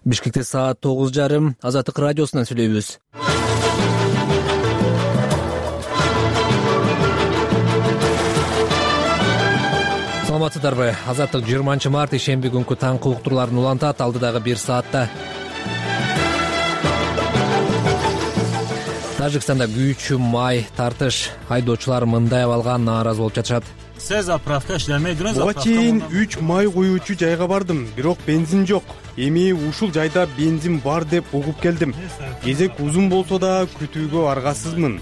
Бишкекте саат 9:30 Азаттык радиосунан сүйлөйбүз. Саламатсыздарбы? Азаттык 20 март ишемби күнкү таңкы уктурларын улантат алдыдагы 1 саатта. Тажикстанда күйүүчү май тартыш. Айдоочулар мындай абалга нааразы болуп жатышат. Сез заправка иштемейдиңиз. Буга чейин 3 май куюучу жайга бардым, бирок бензин жок. Эми ушул жайда бензин бар деп угуп келдим. Кезек узун болсо да күтүүгө аргасызмын.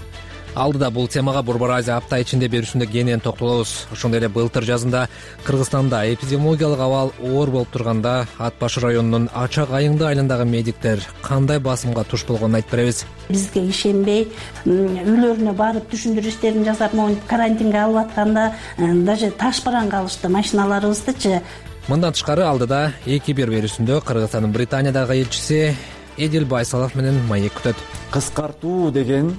Алдыда бул темага Борбор Азия апта ичинде берүүсүндө кенен токтолобуз. Ошондой эле былтыр жазында Кыргызстанда эпидемиологиялык абал оор болуп турганда Ат Башы районунун Ачак айыңды айылындагы медиктер кандай басымга туш болгонун айтып беребиз. Бизге ишенбей, үйлөрүнө барып түшүндүрүү иштерин жасап, монтип карантинге алып атканда даже таш бараң калышты машиналарыбыздычы. Мындан тышкары алдыда 2-1 берүүсүндө Кыргызстандын Британиядагы элчиси Эдил Байсалов менен маек күтөт. Кыскартуу деген,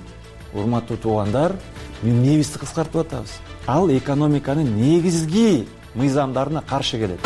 урматтуу туугандар, эмнебизди кыскартып атабыз? Ал экономиканын негизги мыйзамдарына каршы келет.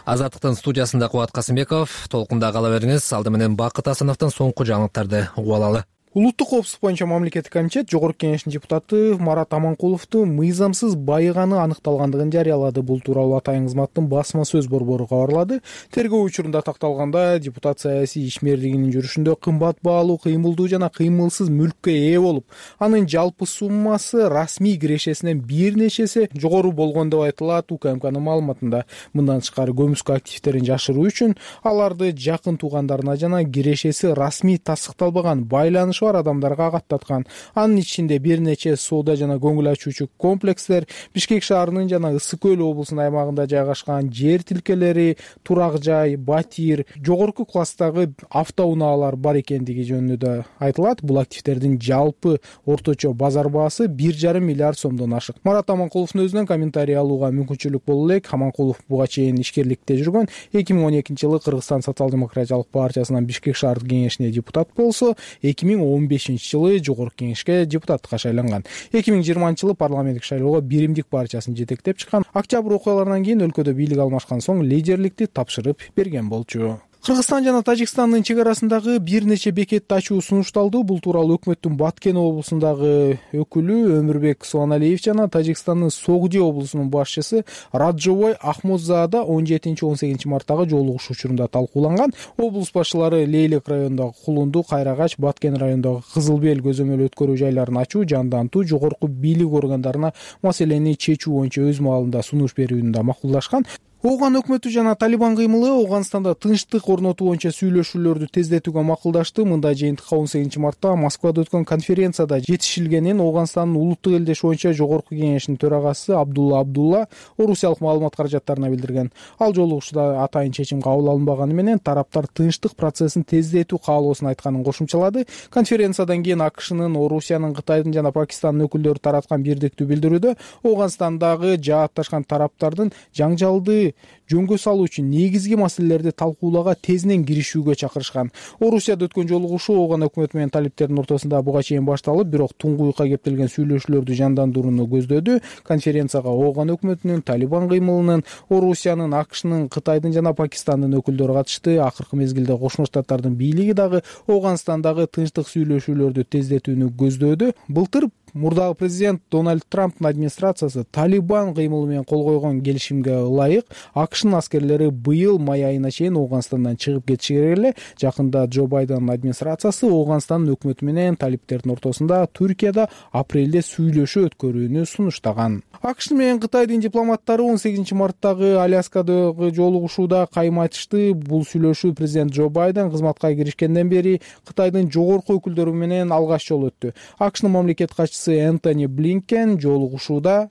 Азаттыктын студиясында Кубат Касымбеков, толкунда кала бериңиз. Алды менен Бакыт Асановдон соңку жаңылыктарды угуп алалы. Улуттук коопсуздук боюнча мамлекеттик комитет Жогорку Кеңештин депутаты Марат Аманкуловду мыйзамсыз байыганы аныкталгандыгын жарыялады. Бул тууралуу Атайын кызматтын басма сөз борбору кабарлады. Тергөө учурунда такталганда депутат саясий ишмердигинин жүрүшүндө кымбат баалуу, кыймылдуу жана кыймылсыз мүлккө ээ болуп, анын жалпы суммасы расмий кирешесинен бир нечеси жогору болгон деп айтылат УКМКнын маалыматында. Мындан тышкары көмүскө активдерин жашыруу үчүн аларды жакын туугандарына жана кирешеси расмий тастыкталбаган байланыш бар адамдарга каттаткан. Анын ичинде бир нече соода жана көңүл ачуучу комплекстер, Бишкек шаарынын жана Ысык Көл облусунун аймагында жайгашкан жер тилкелери, турак жай, батир, жогорку класстагы автоунаалар бар экендиги жөнүндө айтылат. Бул активдердин жалпы орточо базар баасы 1,5 миллиард сомдон ашык. Марат Аманкуловдун өзүнөн комментарий алууга мүмкүнчүлүк боло элек. Аманкулов буга чейин ишкерликте жүргөн. 2012-жылы Кыргызстан социал-демократиялык партиясынан Бишкек шаардык кеңешине депутат болсо, 2015-жылы Жогорку Кеңешке депутаттыкка шайланган. 2020-жылы парламенттик шайлоого Биримдик партиясын жетектеп чыккан. Октябрь окуяларынан кийин өлкөдө бийлик алмашкан соң лидерликти тапшырып берген болчу. Кыргызстан жана Тажикстандын чек арасындагы бир нече бекетти ачуу сунушталды. Бул тууралуу өкмөттүн Баткен облусундагы өкүлү Өмүрбек Суаналиев жана Тажикстандын Согди облусунун башчысы Раджовой Ахмодзада 17-18 марттагы жолугушуу учурунда талкууланган. Облус башчылары Лейлек районундагы Кулунду, Кайрагач, Баткен районундагы Кызылбел көзөмөл өткөрүү жайларын ачуу, жандантуу, жогорку бийлик органдарына маселени чечүү боюнча өз маалында сунуш берүүнү да макулдашкан. Ооган өкмөтү жана Талибан кыймылы Ооганстанда тынчтык орнотуу боюнча сүйлөшүүлөрдү тездетүүгө макулдашты. Мындай жыйынтыкка 18 мартта Москвада өткөн конференцияда жетишилгенин Ооганстандын улуттук элдеш боюнча Жогорку Кеңештин төрагасы Абдулла орусиялык маалымат каражаттарына билдирген. Ал жолугушууда атайын чечим кабыл алынбаганы менен тараптар тынчтык процессин тездетүү каалоосун айтканын кошумчалады. Конференциядан кийин АКШнын, Орусиянын, Кытайдын жана Пакистандын өкүлдөрү тараткан бирдиктүү билдирүүдө Ооганстандагы жаатташкан тараптардын жаңжалды жөнгө салуу үчүн негизги маселелерди талкуулоого тезинен киришүүгө чакырышкан. Орусияда өткөн жолугушуу Ооган өкмөтү менен талиптердин ортосунда буга чейин башталып, бирок туңгуюкка кептелген сүйлөшүүлөрдү жандандырууну көздөдү. Конференцияга Ооган өкмөтүнүн, Талибан кыймылынын, Орусиянын, АКШнын, Кытайдын жана Пакистандын өкүлдөрү катышты. Акыркы мезгилде Кошмо Штаттардын бийлиги дагы Ооганстандагы тынчтык сүйлөшүүлөрдү тездетүүнү көздөөдү. Былтыр мурдагы президент Дональд Трамптын администрациясы Талибан кыймылы менен кол койгон келишимге ылайык АКШнын аскерлери быйыл май айына чейин Ооганстандан чыгып кетиши керек эле. Жакында Джо Байдендин администрациясы Ооганстандын өкмөтү менен талиптердин ортосунда Түркияда апрелде сүйлөшүү өткөрүүнү сунуштаган. АКШ менен Кытайдын дипломаттары 18 марттагы Аляскадагы жолугушууда кайым айтышты. Бул сүйлөшүү президент Джо Байден кызматка киришкенден бери Кытайдын жогорку өкүлдөрү менен алгач жолу өттү. АКШнын мамлекет катчысы Энтони Блинкен жолугушууда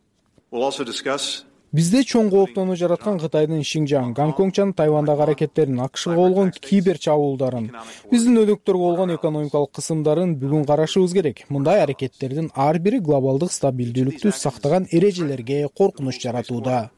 бизде чоң кооптонуу жараткан Кытайдын Шинжаң, Гонконг жана Тайвандагы аракеттерин, АКШга болгон кибер чабуулдарын, биздин өнөктөргө болгон экономикалык кысымдарын бүгүн карашыбыз керек. Мындай аракеттердин ар бири глобалдык стабилдүүлүктү сактаган эрежелерге коркунуч жаратууда.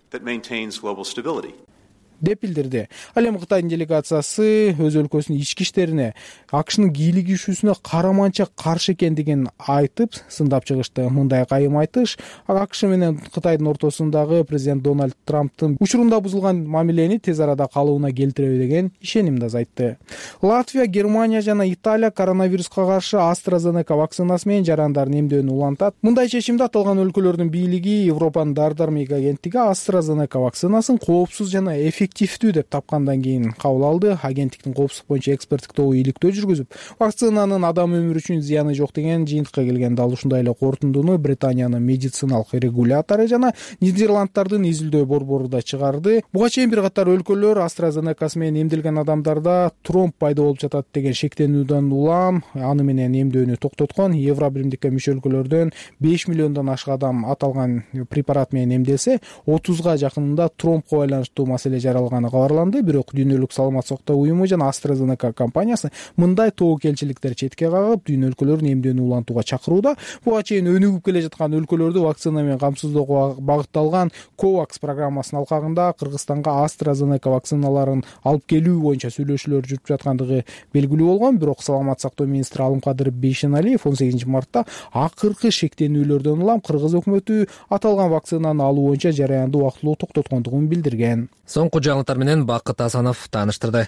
деп билдирди. Ал эми Кытайдын делегациясы өз өлкөсүнүн ички иштерине АКШнын кийлигишүүсүнө караманча каршы экендигин айтып сындап чыгышты. Мындай кайым айтыш АКШ менен Кытайдын ортосундагы президент Дональд Трамптын учурунда бузулган мамилени тез арада калыбына келтиреби деген ишенимди азайтты. Латвия, Германия жана Италия коронавируска каршы AstraZeneca вакцинасы менен жарандарын эмдөөнү улантат. Мындай чечимди аталган өлкөлөрдүн бийлиги Европанын дар-дармек агенттиги AstraZeneca вакцинасын коопсуз жана эффективдүү деп тапкандан кийин кабыл алды. Агенттиктин коопсуздук боюнча эксперттик тобу иликтөө жүргүзүп, вакцинанын адам өмүрү үчүн зыяны жок деген жыйынтыкка келген. Ал ушундай эле корутундуну Британиянын медициналык регулятору жана Нидерланддардын изилдөө борбору да чыгарды. Буга чейин бир катар өлкөлөр AstraZeneca менен эмделген адамдарда тромб пайда болуп жатат деген шектенүүдөн улам аны менен эмдөөнү токтоткон. Евробиримдикке мүчө өлкөлөрдөн 5 миллиондон ашык адам аталган препарат менен эмделсе, 30га жакынында тромбко байланыштуу маселе жаралганы кабарланды. Бирок Дүйнөлүк саламаттык сактоо уюму жана AstraZeneca компаниясы мындай тобокелчиликтер четке кагып, дүйнө өлкөлөрүн эмдөөнү улантууга чакырууда. Буга чейин өнүгүп келе жаткан өлкөлөрдү вакцина менен камсыздоого багытталган COVAX программасынын алкагында Кыргызстанга AstraZeneca вакциналарын алып келүү боюнча сүйлөшүүлөр жүрүп жаткандыгы белгилүү болгон. Бирок саламаттык сактоо министри Алымкадыр Бейшеналиев 18 мартта акыркы шектенүүлөрдөн улам Кыргыз өкмөтү аталган вакцинаны алуу боюнча жараянды убактылуу токтоткондугун билдирген. Соңку жаңылыктар менен Бакыт Асанов тааныштырды.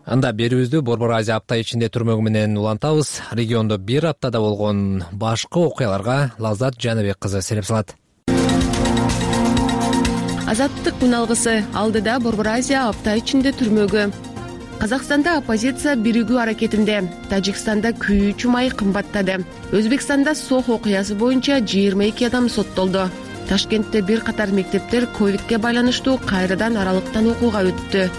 Анда берүүбүздү Борбор Азия апта ичинде түрмөгү менен улантабыз. Региондо бир аптада болгон башкы окуяларга Лаззат Жаныбек кызы селеп салат. Азаттык күналгысы алдыда Борбор Азия апта ичинде түрмөгү. Казакстанда оппозиция биригүү аракетинде, Тажикстанда күйүүчү май кымбаттады. Өзбекстанда Сох окуясы боюнча 22 адам соттолду. Ташкентте бир катар мектептер ковидке байланыштуу кайрадан аралыктан окууга өттү.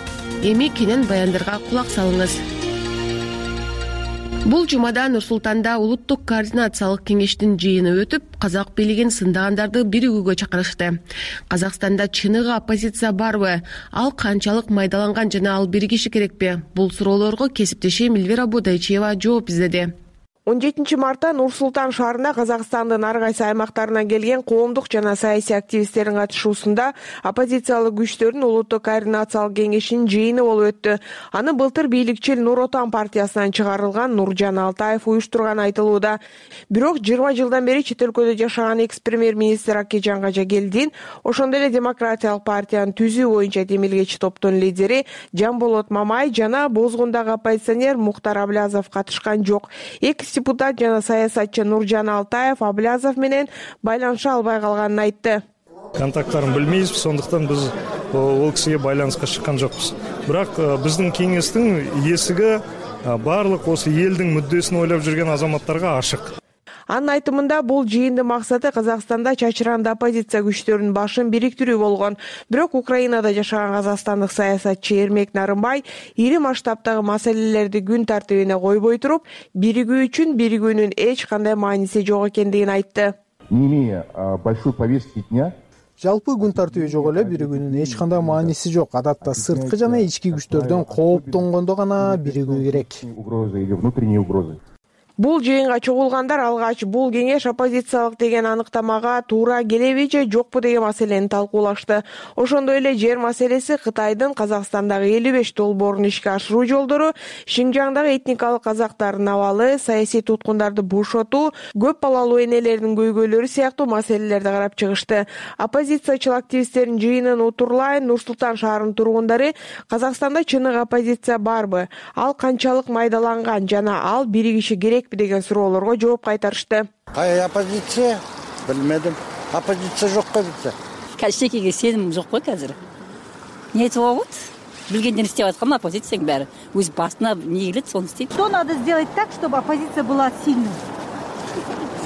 Эми кенен баяндарга кулак салыңыз. Бул жумада Нур-Султанда улуттук координациялык кеңештин жыйыны өтүп, казак бийлигин сындагандарды биригүүгө чакырышты. Казакстанда чыныгы оппозиция барбы? Ал канчалык майдаланган жана ал биригиши керекпи? Бул суроолорго кесиптешим Эльвира Бодайчиева жооп издеди. 17 мартта Нур-Султан шаарына Казакстандын ар кайсы аймактарынан келген коомдук жана саясий активисттердин катышуусунда оппозициялык күчтөрдүн улуттук координациялык кеңешинин жыйыны болуп өттү. Аны былтыр бийликчил Нур Отан партиясынан чыгарылган Нуржан Алтаев уюштурганы айтылууда. Бирок 20 жылдан бери чет өлкөдө жашаган экс-премьер-министр Акежан Кажагелдин, ошондой эле Демократиялык партиянын түзүү боюнча демилгечи топтун лидери Жамболот Мамай жана Бозгундагы оппозиционер Мухтар Аблязов катышкан жок. Депутат жана саясатчы Нуржан Алтаев Аблязов менен байланыша албай калганын айтты. Контакттарын билмейбиз, сондуктан биз ол кишиге байланыска чыккан жокпуз. Бирок биздин кеңештин эсиги баардык осы элдин мүддөсүн ойлоп жүрген азаматтарга ашык. Анын айтымында бул жыйындын максаты Казакстанда чачыранды оппозиция күчтөрүнүн башын бириктирүү болгон. Бирок Украинада жашаган казакстандык саясатчы Эрмек Нарымбай ири масштабтагы маселелерди күн тартибине койбой туруп, биригүү үчүн биригүүнүн эч кандай мааниси жок экендигин айтты. Не имея большой повестки дня, Жалпы күн тартиби жок эле, биригүүнүн эч кандай мааниси жок. Адатта сырткы жана ички күчтөрдөн кооптонгондо гана биригүү керек. угрозы или внутренние угрозы. Бул жыйынга чогулгандар алгач бул кеңеш оппозициялык деген аныктамага туура келеби же жокпу деген маселени талкуулашты. Ошондой эле жер маселеси, Кытайдын Казакстандагы 55 долбоорун ишке ашыруу жолдору, Шинжаңдагы этникалык казактардын абалы, саясий туткундарды бошотуу, көп балалуу энелердин көйгөйлөрү сыяктуу маселелерди карап чыгышты. Оппозициячыл активисттердин жыйынын утурлайын Нур-Султан шаарынын тургундары Казакстанда чыныгы оппозиция барбы? Ал канчалык майдаланган жана ал биригиши керек деген суроолорго жооп кайтарышты. Кай оппозиция? Билмедим. Оппозиция жок го бизде. Качтекеге сеним жок го азыр. Не айтып болот? Билгенден истеп аткан оппозицияң баары. Өз басына эмне келет, сону истейт. Что надо сделать так, чтобы оппозиция была сильной?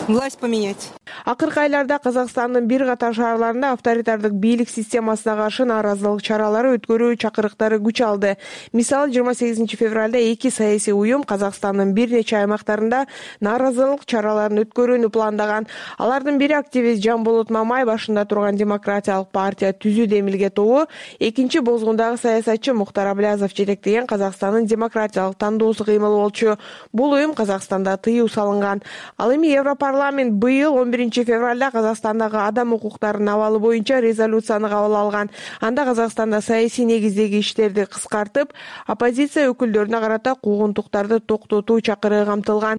Власть поменять. Акыркы айларда Казакстандын бир катар шаарларында авторитардык бийлик системасына каршы нааразылык чаралары өткөрүү чакырыктары күч алды. Мисалы 28 февралда эки саясий уюм Казакстандын бир нече аймактарында нааразылык чараларын өткөрүүнү пландаган. Алардын бири активист Жанболот Мамай башында турган Демократиялык партия түзүү демилге тобу, экинчи бозгундагы саясатчы Мухтар Аблязов жетектеген Казакстандын демократиялык тандоосу кыймыл болчу. Бул уюм Казакстанда тыюу салынган. Ал эми Европарламент быйыл 11 февралда Казакстандагы адам укуктарынын абалы боюнча резолюцияны кабыл алган. Анда Казакстанда саясий негиздеги иштерди кыскартып, оппозиция өкүлдөрүнө карата куугунтуктарды токтотуу чакырыгы камтылган.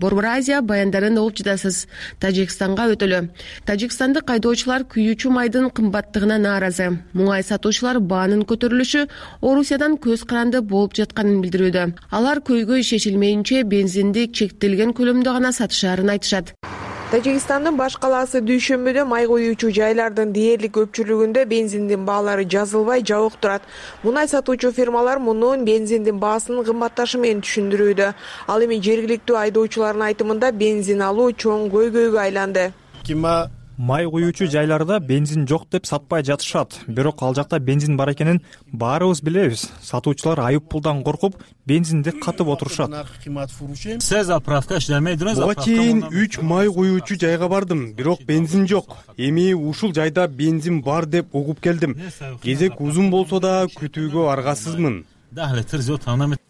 Борбор Азия баяндарын угуп жатасыз. Тажикстанга өтөлү. Тажикстандык айдоочулар күйүүчү майдын кымбаттыгына нааразы. Муңай сатуучулар баанын көтөрүлүшү Орусиядан көз каранды болуп жатканын билдирүүдө. Алар көйгөй чечилмейинче бензинди чектелген көлөмдө гана сатышаарын айтышат. Тажикстандын баш калаасы дүйшөмбүдө май коюучу жайлардын дээрлик көпчүлүгүндө бензиндин баалары жазылбай жабык турат. Мунай сатуучу фирмалар мунун бензиндин баасынын кымбатташы менен түшүндүрүүдө. Ал эми жергиликтүү айдоочулардын айтымында бензин алуу чоң көйгөйгө айланды. Май куюучу жайларда бензин жок деп сатпай жатышат. Бирок ал жакта бензин бар экенин баарыбыз билебиз. Сатуучулар айып пулдан коркуп, бензинди катып отурушат. Буга чейин 3 май куюучу жайга бардым, бирок бензин жок. Эми ушул жайда бензин бар деп угуп келдим. Кезек узун болсо да күтүүгө аргасызмын.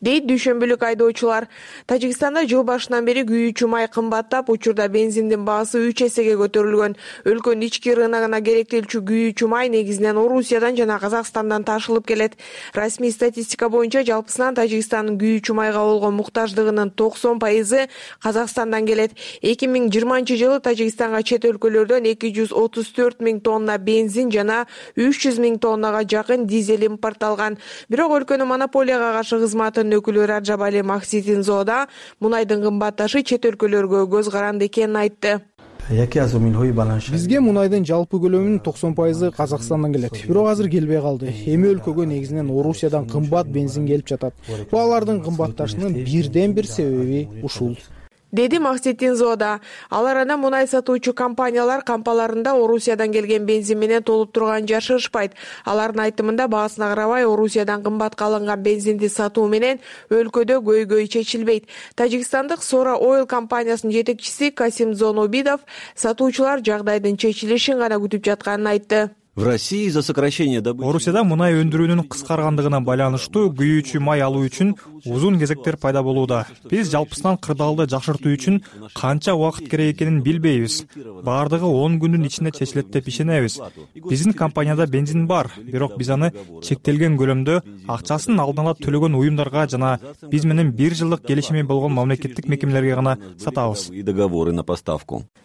Дейт дүйшөмбүлүк айдоочулар. Тажикстанда жыл башынан бери күйүүчү май кымбаттап, учурда бензиндин баасы 3 эсеге көтөрүлгөн. Өлкөнүн ички рыногуна керектелчү күйүүчү май негизинен Орусиядан жана Казакстандан ташылып келет. Расмий статистика боюнча жалпысынан Тажикстандын күйүүчү майга болгон муктаждыгынын 90% Казакстандан келет. 2020-жылы Тажикстанга чет өлкөлөрдөн 234 000 тонна бензин жана 300 000 тоннага жакын дизель импортталган. Бирок өлкөнүн монополияга каршы кызматынын өкүлү Раджабали Макситинзода мунайдын кымбатташы чет өлкөлөргө көз каранды экенин айтты. Бизге мунайдын жалпы көлөмүнүн 90% Казакстандан келет. Бирок азыр келбей калды. Эми өлкөгө негизинен Орусиядан кымбат бензин келип жатат. Баалардын кымбатташынын бирден бир себеби ушул. Деди Макситинзода. Ал арада мунай сатуучу компаниялар кампаларында Орусиядан келген бензин менен толуп турганын жашырышпайт. Алардын айтымында баасына карабай Орусиядан кымбатка алынган бензинди сатуу менен өлкөдө көйгөй чечилбейт. Тажикстандык Сора Oil компаниясынын жетекчиси Касимзон Обидов сатуучулар жагдайдын чечилишин гана күтүп жатканын айтты. Орусияда мунай өндүрүүнүн кыскаргандыгына байланыштуу күйүүчү май алуу үчүн узун кезектер пайда болууда. Биз жалпысынан кырдаалды жакшыртуу үчүн канча убакыт керек экенин билбейбиз. Бардыгы 10 күндүн ичинде чечилет деп ишенебиз. Биздин компанияда бензин бар, бирок биз аны чектелген көлөмдө акчасын алдын ала төлөгөн уюмдарга жана биз менен 1 жылдык келишими болгон мамлекеттик мекемелерге гана сатабыз.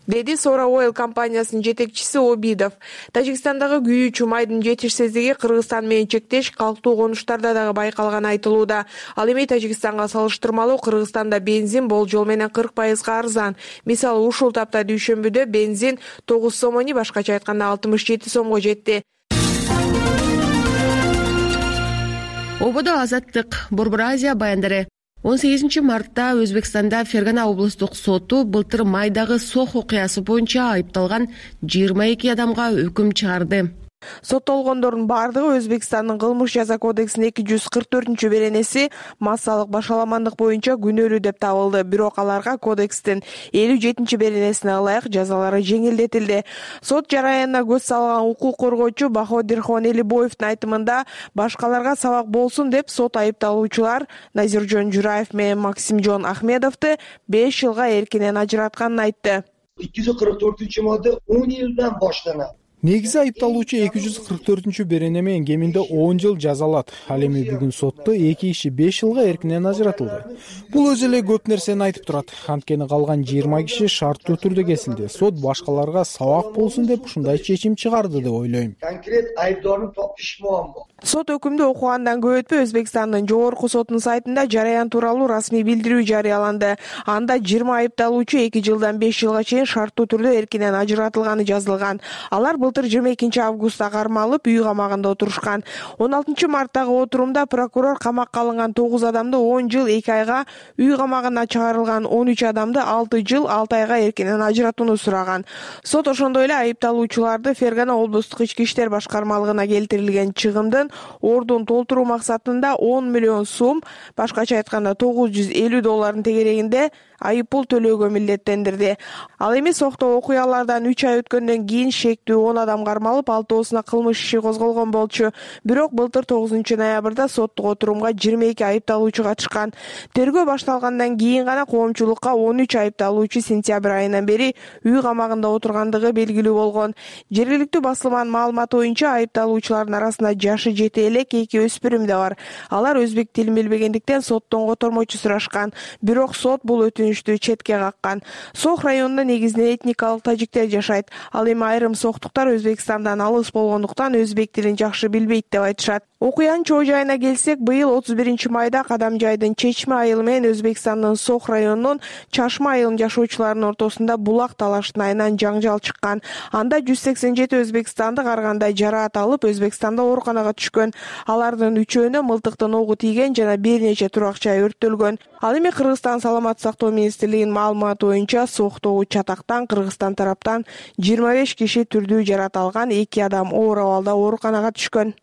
Деди Сора Oil компаниясынын жетекчиси Обидов. Тажикстандагы күйүүчү майдын жетишсиздиги Кыргызстан менен чектеш калктуу конуштарда дагы байкалганы айтылууда. Ал эми Тажикстанга салыштырмалуу Кыргызстанда бензин болжол менен 40% арзан. Мисалы ушул тапта дүйшөмбүдө бензин 9 сомони, башкача айтканда 67 сомго жетти. Ободо азаттык. Борбор Азия баяндары. 18 мартта Өзбекстанда Фергана облустук соту былтыр майдагы сох окуясы боюнча айыпталган 22 адамга өкүм чыгарды. Соттолгондордун бардыгы Өзбекстандын кылмыш жаза кодексинин 244-беренеси массалык башаламандык боюнча күнөөлүү деп табылды. Бирок аларга кодекстин 57-беренесине ылайык жазалары жеңилдетилди. Сот жараянына көз салган укук коргоочу Баходирхон Элибоевдин айтымында башкаларга сабак болсун деп сот айыпталуучулар Назиржон Жураев менен Максимжон Ахмедовду 5 жылга эркинен ажыратканын айтты. 244-модда 10 жылдан баштанат. Негизи айыпталуучу 244-берене менен кеминде 10 жыл жазалат. Ал эми бүгүн сотто 2 киши 5 жылга эркинен ажыратылды. Бул өзү эле көп нерсени айтып турат. Анткени калган 20 киши шарттуу түрдө кесилди. Сот башкаларга сабак болсун деп ушундай чечим чыгарды деп ойлойм. Конкрет айыптоорун топуш муаммо. Сот өкүмдү окугандан көп өтпөй Өзбекстандын жогорку сотунун сайтында жараян тууралуу расмий билдирүү жарыяланды. Анда 20 айыпталуучу 2 жылдан 5 жылга чейин шарттуу түрдө эркинен ажыратылганы жазылган. Алар былтыр 22 августта кармалып, үй камагында отурушкан. 16 марттагы отурумда прокурор камакка алынган 9 адамды 10 жыл 2 айга, үй камагына чыгарылган 13 адамды 6 жыл 6 айга эркинен ажыратууну сураган. Сот ошондой эле айыпталуучуларды Фергана облустук ички иштер башкармалыгына келтирилген чыгымдын ордун толтуруу максатында 10 миллион сом, башкача айтканда $950 тегерегинде айыппул төлөөгө милдеттендирди. Ал эми соктоо окуялардан 3 ай өткөндөн кийин шектүү 10 адам кармалып, 6-оосуна кылмыш иши козголгон болчу. Бирок былтыр 9 ноябрда соттук отурумга 22 айыпталуучу катышкан. Тергөө башталгандан кийин гана коомчулукка 13 айыпталуучу сентябрь айынан бери үй камагында отургандыгы белгилүү болгон. Жергиликтүү басылманын маалыматы боюнча айыпталуучулардын арасында жашы жете элек 2 өспүрүм да бар. Алар өзбек тилин билбегендиктен соттон котормочу сурашкан. Бирок сот бул өтүнүштү четке каккан. Сох районунда негизинен этникалык тажиктер жашайт. Ал эми айрым соктуктар Өзбекстандан алыс болгондуктан өзбек тилин жакшы билбейт деп айтышат. Окуянын чоо жайына келсек, быйыл 31 майда Кадамжайдын Чечме айылы менен Өзбекстандын Сох районунун Чашма айылынын жашоочуларынын ортосунда булак талаштын айынан жаңжал чыккан. Анда 187 өзбекстандык ар кандай жараат алып, Өзбекстанда ооруканага түшкөн. Алардын 3-өөнө мылтыктын огу тийген жана бир нече турак жай өрттөлгөн. Ал эми Кыргызстан саламаттык сактоо министрлигинин маалыматы боюнча соктогу чатактан Кыргызстан тараптан 25 киши түрдүү жараат алган, 2 адам оор абалда ооруканага түшкөн.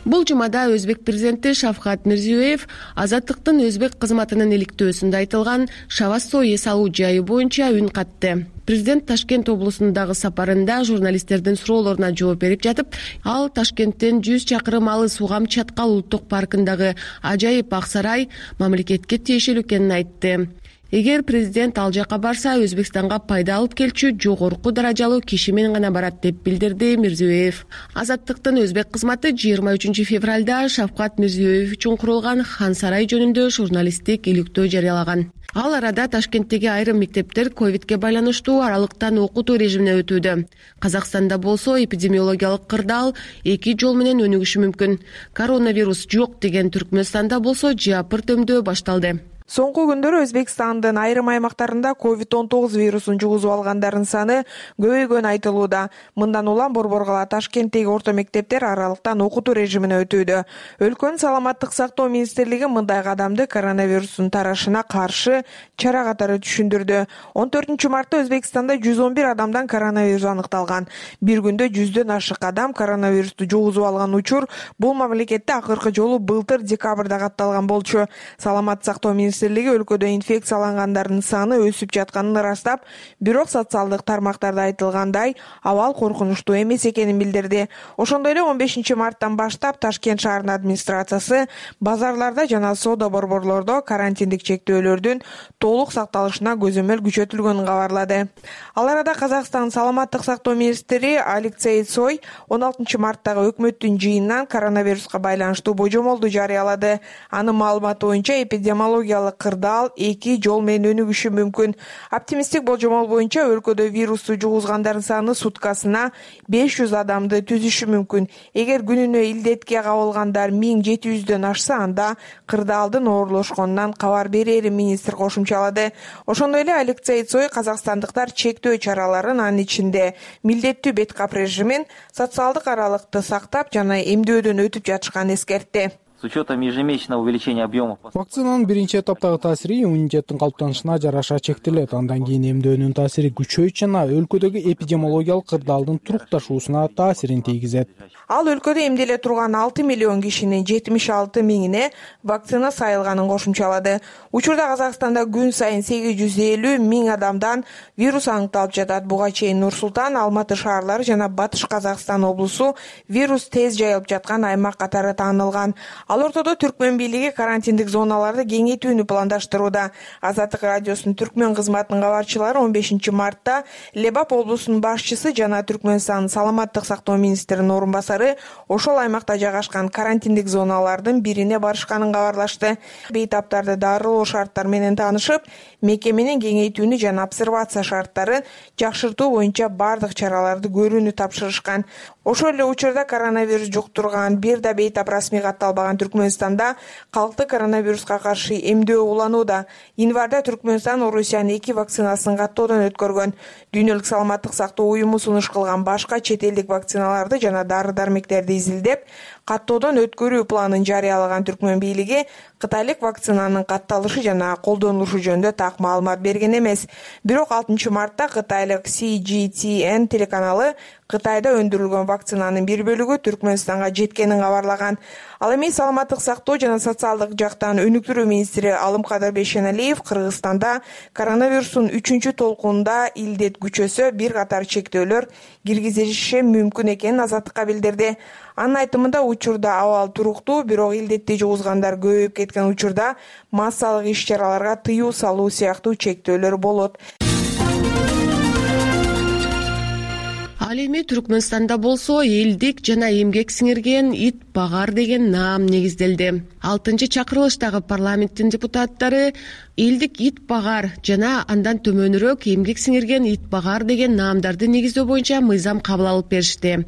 Бул жумада өзбек президенти Шавкат Мирзиёев Азаттыктын өзбек кызматынын иликтөөсүндө айтылган Шавассо эс алуу жайы боюнча үн катты. Президент Ташкент облусундагы сапарында журналисттердин суроолоруна жооп берип жатып, ал Ташкенттен 100 чакырым алыс Угам Чаткал улуттук паркындагы ажайып ак сарай мамлекетке тиешелүү экенин айтты. Эгер президент ал жака барса, Өзбекстанга пайда алып келчү жогорку даражалуу киши менен гана барат деп билдирди Мирзиёев. Азаттыктын өзбек кызматы 23 февралда Шавкат Мирзиёев үчүн курулган Хан сарай жөнүндө журналисттик иликтөө жарыялаган. Ал арада Ташкенттеги айрым мектептер ковидке байланыштуу аралыктан окутуу режимине өтүүдө. Казакстанда болсо эпидемиологиялык кырдаал 2 жол менен өнүгүшү мүмкүн. Коронавирус жок деген Түркмөнстанда болсо жапыр дөмдөө башталды. Соңку күндөрү Өзбекстандын айрым аймактарында COVID-19 вирусун жугузуп алгандардын саны көбөйгөнү айтылууда. Мындан улам Борборгала Ташкенттеги орто мектептер аралыктан окутуу режимине өтүүдө. Өлкөнүн саламаттык сактоо министрлиги мындай кадамды коронавирустун тарашына каршы чара катары түшүндүрдү. 14 мартта Өзбекстанда 111 адамдан коронавирус аныкталган. Бир күндө 100дөн ашык адам коронавирусту жугузуп алган учур бул мамлекетте акыркы жолу былтыр декабрда катталган болчу. Саламаттык сактоо өлкөдө инфекциялангандардын саны өсүп жатканын ырастап, бирок социалдык тармактарда айтылгандай абал коркунучтуу эмес экенин билдирди. Ошондой эле 15 марттан баштап Ташкент шаарынын администрациясы базарларда жана соода борборлордо карантиндик чектөөлөрдүн толук сакталышына көзөмөл күчөтүлгөнүн кабарлады. Ал арада Казакстан саламаттык сактоо министри Алексей Цой 16 марттагы өкмөттүн жыйынынан коронавируска байланыштуу божомолду жарыялады. Анын маалыматы боюнча эпидемиологиялык кырдаал 2 жол менен өнүгүшү мүмкүн. Оптимисттик болжомол боюнча өлкөдө вирусту жугузгандардын саны суткасына 500 адамды түзүшү мүмкүн. Эгер күнүнө илдетке кабылгандар 1700дөн ашса, анда кырдаалдын оорлошконунан кабар берери министр кошумчалады. Ошондой эле Алексей Цой казакстандыктар чектөө чараларын, анын ичинде милдеттүү бет кап режимин, социалдык аралыкты сактап жана эмдөөдөн өтүп жатышканын эскертти. С учетом ежемесячного увеличения объемов. Вакцинанын биринчи этаптагы таасири иммунитеттин калыптанышына жараша чектелет. Андан кийин эмдөөнүн таасири күчөйт жана өлкөдөгү эпидемиологиялык кырдаалдын турукташуусуна таасирин тийгизет. Ал өлкөдө эмделе турган 6 миллион кишинин 76 миңине вакцина сайылганын кошумчалады. Учурда Казакстанда күн сайын 850 миң адамдан вирус аныкталып жатат. Буга чейин Нур-Султан, Алматы шаарлары жана Батыш Казакстан облусу вирус тез жайылып жаткан аймак катары таанылган. Ал ортодо Түркмөн бийлиги карантиндик зоналарды кеңейтүүнү пландаштырууда. Азаттык радиосунун Түркмөн кызматынын кабарчылары 15 мартта Лебап облусунун башчысы жана Түркмөнстандын саламаттык сактоо министринин орун басары ошол аймакта жайгашкан карантиндик зоналардын бирине барышканын кабарлашты. Бейтаптарды дарылоо шарттары менен таанышып, мекеменин кеңейтүүнү жана обсервация шарттарын жакшыртуу боюнча бардык чараларды көрүүнү тапшырышкан. Ошол эле учурда коронавирус жуктурган бир да бейтап расмий катталбаган Түркмөнстанда калкты коронавируска каршы эмдөө уланууда. Январда Түркмөнстан Орусиянын 2 вакцинасын каттоодон өткөргөн. Дүйнөлүк саламаттык сактоо уюму сунуш кылган башка чет элдик вакциналарды жана дары-дармектерди изилдеп, каттоодон өткөрүү планын жарыялаган Түркмөн бийлиги кытайлык вакцинанын катталышы жана колдонулушу жөнүндө так маалымат берген эмес. Бирок 6 мартта кытайлык CGTN телеканалы Кытайда өндүрүлгөн вакцинанын бир бөлүгү Түркмөнстанга жеткенин кабарлаган. Ал эми саламаттык сактоо жана социалдык жактан өнүктүрүү министри Алымкадыр Бейшеналиев Кыргызстанда коронавирустун 3-чү толкунунда илдет күчөсө бир катар чектөөлөр киргизилиши мүмкүн экенин азаттыкка билдирди. Анын айтымында учурда абал туруктуу, бирок илдетти жугузгандар көбөйүп кеткен учурда массалык иш-чараларга тыюу салуу сыяктуу чектөөлөр болот. Ал эми Түркмөнстанда болсо элдик жана эмгек сиңирген ит багар деген наам негизделди. 6-чакырылыштагы парламенттин депутаттары элдик ит багар жана андан төмөнүрөөк эмгек сиңирген ит багар деген наамдарды негиздөө боюнча мыйзам кабыл алып беришти.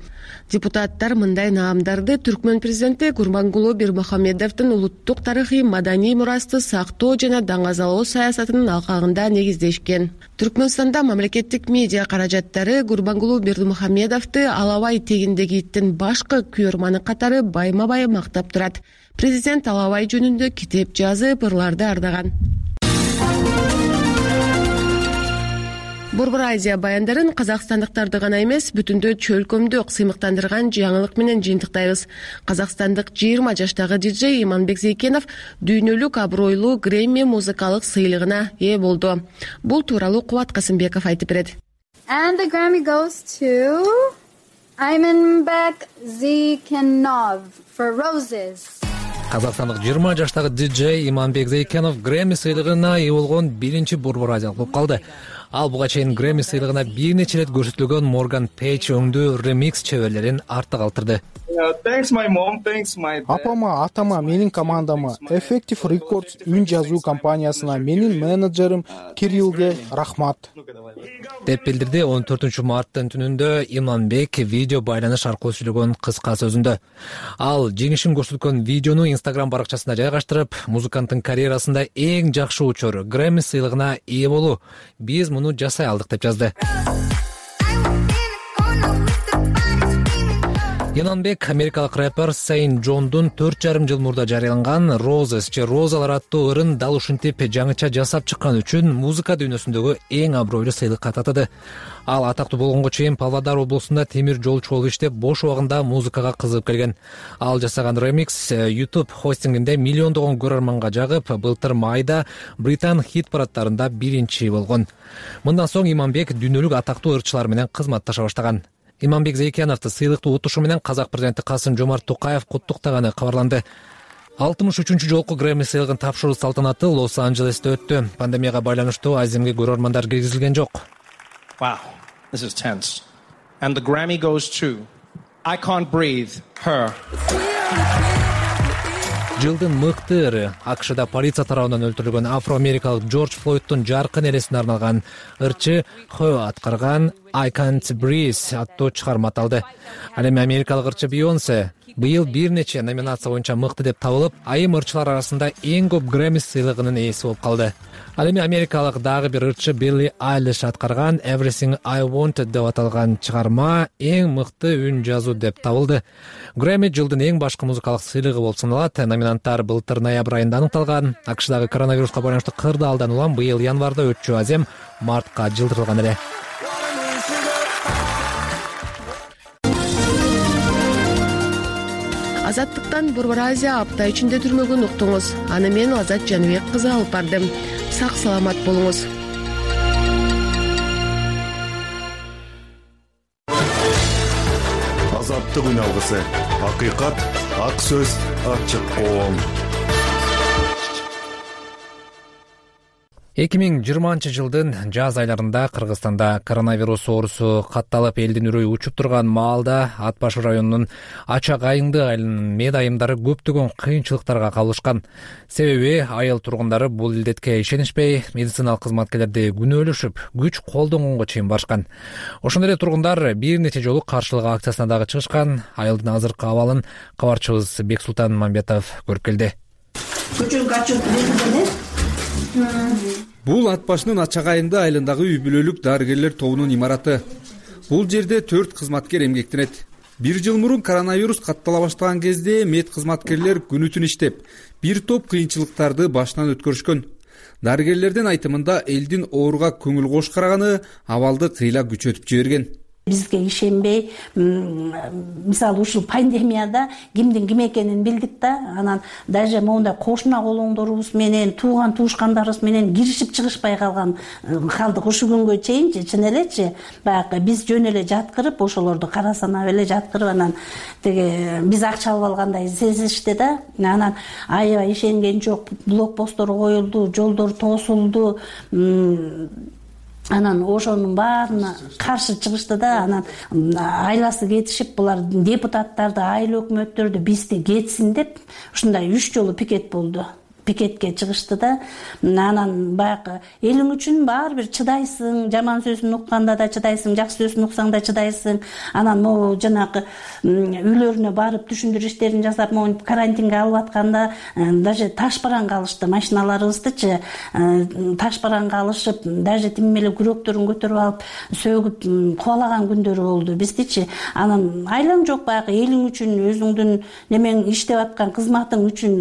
Депутаттар мындай наамдарды Түркмөн президенти Гурбангулуу Бермухамедовдун улуттук тарыхый маданий мурасты сактоо жана даңазалоо саясатынын алкагында негиздешкен. Түркмөнстанда мамлекеттик медиа каражаттары Гурбангулуу Бермухамедовду Алабай тегиндеги иттин башкы күйөрманы катары байма-бай мактап турат. Президент Алабай жөнүндө китеп жазып, ырларды ардаган. Борбор Азия баяндарын казакстандыктарды гана эмес, бүтүндө чөлкөмдү сыймыктандырган жаңылык менен жыйынтыктайбыз. Казакстандык 20 жаштагы диджей Иманбек Зейкенов дүйнөлүк абройлуу Грэмми музыкалык сыйлыгына ээ болду. Бул тууралуу Кубат Касымбеков айтып берет. And the Grammy goes to Imanbek Zeykenov for Roses. Казакстандык 20 жаштагы диджей Иманбек Зейкенов Грэмми сыйлыгына ээ болгон биринчи борбор азиялык болуп калды. Ал буга чейин Грэмми сыйлыгына бир нече ирет көрсөтүлгөн Morgan Page өңдүү ремикс чеберлерин артта калтырды. Апама, атама, менин командама, Effective Records үн жазуу компаниясына, менин менеджерим Кириллге рахмат деп билдирди 14 марттын түнүндө Иманбек видео байланыш аркылуу сүйлөгөн кыска сөзүндө. Ал жеңишин көрсөткөн видеону Instagram баракчасына жайгаштырып, музыканттын карьерасында эң жакшы учур Грэмми сыйлыгына ээ болуу. Биз муну жасай алдык деп жазды. Иманбек америкалык рэпер Сейн Джондун 4,5 жыл мурда жарыяланган Roses же Розалар аттуу ырын дал ушинтип жаңыча жасап чыккан үчүн музыка дүйнөсүндөгү эң абройлуу сыйлыкка татыды. Ал атактуу болгонго чейин Павлодар облусунда темир жолчу болуп иштеп, бош убагында музыкага кызыгып келген. Ал жасаган ремикс YouTube хостингинде миллиондогон көрөрманга жагып, былтыр майда Британ хит парадтарында биринчи болгон. Мындан соң Иманбек дүйнөлүк атактуу ырчылар менен кызматташа баштаган. Иманбек Зейкеновду сыйлыкты утушу менен казак президенти Касым-Жомарт Токаев куттуктаганы кабарланды. 63-чү жолку Грэмми сыйлыгын тапшыруу салтанаты Лос-Анджелесте өттү. Пандемияга байланыштуу Аземге көрөрмандар киргизилген жок. Wow, this is tense. And the Grammy goes to I Can't Breathe, Her. Жылдын мыкты ыры АКШда полиция тарабынан өлтүрүлгөн афро-америкалык Джордж Флойдтун жаркын элесине арналган ырчы Хö аткарган I Can't Breathe аттуу чыгарма аталды. Ал эми америкалык ырчы Бейонсе быйыл бир нече номинация боюнча мыкты деп табылып, айым ырчылар арасында эң көп Грэмми сыйлыгынын ээси болуп калды. Ал эми америкалык дагы бир ырчы Билли Айлиш аткарган Everything I Wanted деп аталган чыгарма эң мыкты үн жазуу деп табылды. Грэмми жылдын эң башкы музыкалык сыйлыгы болуп саналат. Номинанттар былтыр ноябрь айында аныкталган. АКШдагы коронавируска байланыштуу кырдаалдан улам быйыл январда өтчү азем мартка жылдырылган эле. Азаттыктан Борбор Азия апта ичинде түрмөгүн уктуңуз. Аны мен Азат Жаныбек кызы алып бардым. Сак саламат болуңуз. Азаттык үн алгысы. Акыйкат, ак сөз, ачык коом. 2020-жылдын жаз айларында Кыргызстанда коронавирус оорусу катталып элдин үрөйү учуп турган маалда Ат башы районунун Ачак айыңды айылынын мед айымдары көптөгөн кыйынчылыктарга кабылышкан. Себеби айыл тургундары бул илдетке ишенишпей, медициналык кызматкерлерди күнөөлөшүп, күч колдонгонго чейин барышкан. Ошондой эле тургундар бир нече жолу каршылык акциясына дагы чыгышкан. Айылдын азыркы абалын кабарчыбыз Бексултан Мамбетов көрүп келди. Бул Ат башынын Ачак айыңды айылындагы үй бүлөлүк дарыгерлер тобунун имараты. Бул жерде 4 кызматкер эмгектенет. 1 жыл мурун коронавирус каттала баштаган кезде мед кызматкерлер күнү түн иштеп, бир топ кыйынчылыктарды башынан өткөрүшкөн. Дарыгерлердин айтымында элдин ооруга көңүл кош караганы абалды кыйла күчөтүп жиберген. Бизге ишенбей, мисалы ушул пандемияда кимдин ким экенин билдик да, анан даже моундай кошуна колоңдорубуз менен, тууган туушкандарыбыз менен киришип чыгышпай калган калдык. Ушул күнгө чейинчи, чын элечи, баягы биз жөн эле жаткырып, ошолорду кара санап эле жаткырып, анан теге биз акча алып алгандай сезишти да. Анан аябай ишенген жок, блокпосттор коюлду, жолдор тосулду. Анан ошонун баарына каршы чыгышты да, анан айласы кетишип, булар депутаттарды, айыл өкмөттөрдү бизди кетсин деп, ушундай 3 жолу пикет болду. Пикетке чыгышты да. Анан баягы элиң үчүн баары бир чыдайсың, жаман сөзүн укканда да чыдайсың, жакшы сөзүн уксаң да чыдайсың. Анан могу жанагы үйлөрүнө барып түшүндүрүү иштерин жасап, могу карантинге алып атканда даже таш бараңга алышты, машиналарыбыздычы таш бараңга алышып, даже тим эле күрөктөрүн көтөрүп алып, сөгүп кубалаган күндөрү болду биздичи. Анан айлаң жок, баягы элиң үчүн, өзүңдүн немең иштеп аткан кызматың үчүн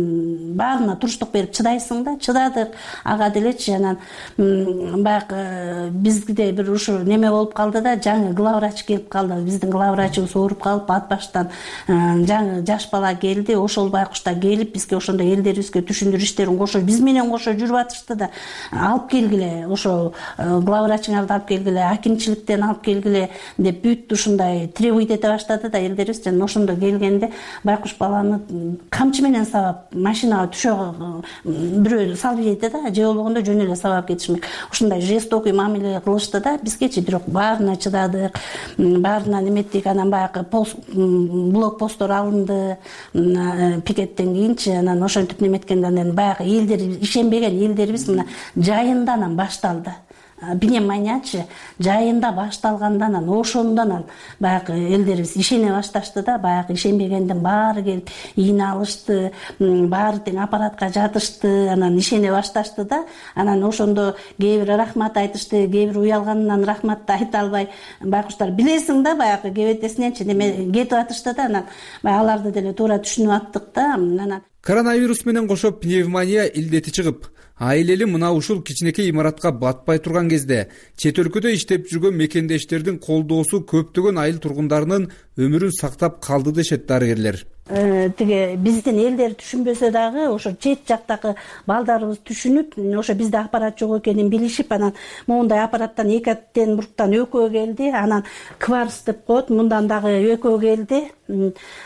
баарына туруштук берип чыдайсың да. Чыдадык ага делечи. Анан баягы бизде бир ушу неме болуп калды да, жаңы главврач келип калды. Биздин главврачыбыз ооруп калып, Ат баштан жаңы жаш бала келди. Ошол байкушта келип бизге ошондой элдерибизге түшүндүрүү иштерин кошо, биз менен кошо жүрүп атышты да. Алып келгиле, ошо главврачыңарды алып келгиле, акимчиликтен алып келгиле деп бүт ушундай требовать эте баштады да элдерибиз. Жана ошондо келгенде байкуш баланы камчы менен сабап машинага түшө бирөө салып жейди да, же болбогондо жөн эле сабап кетишмек. Ушундай жестокий мамиле кылышты да. Бизгечи бирок баарына чыдадык, баарына неметтик. Анан баягы блокпосттор алынды пикеттен кийинчи. Анан ошентип неметкенде анан баягы элдер ишенбеген элдерибиз мына жайында анан башталды. Пневмониячы жайында башталганда анан ошондон баягы элдерибиз ишене башташты да. Баягы ишенбегендин баары келип ийне алышты, баары тең аппаратка жатышты, анан ишене башташты да. Анан ошондо кээ бир рахмат айтышты, кээ бир уялганынан рахматты айта албай байкуштар билесиң да, баягы кебетесиненчи неме кетип атышты да. Анан аларды деле туура түшүнүп аттык да. Анан коронавирус менен кошо пневмония илдети чыгып, айыл эли мына ушул кичинекей имаратка батпай турган кезде чет өлкөдө иштеп жүргөн мекендештердин колдоосу көптөгөн айыл тургундарынын өмүрүн сактап калды дешет дарыгерлер. Тиги биздин элдер түшүнбөсө дагы ошо чет жактагы балдарыбыз түшүнүп, ошо бизде аппарат жок экенин билишип, анан моундай аппараттан экөтен буруктан экөө келди, анан кварц деп коет, мындан дагы экөө келди.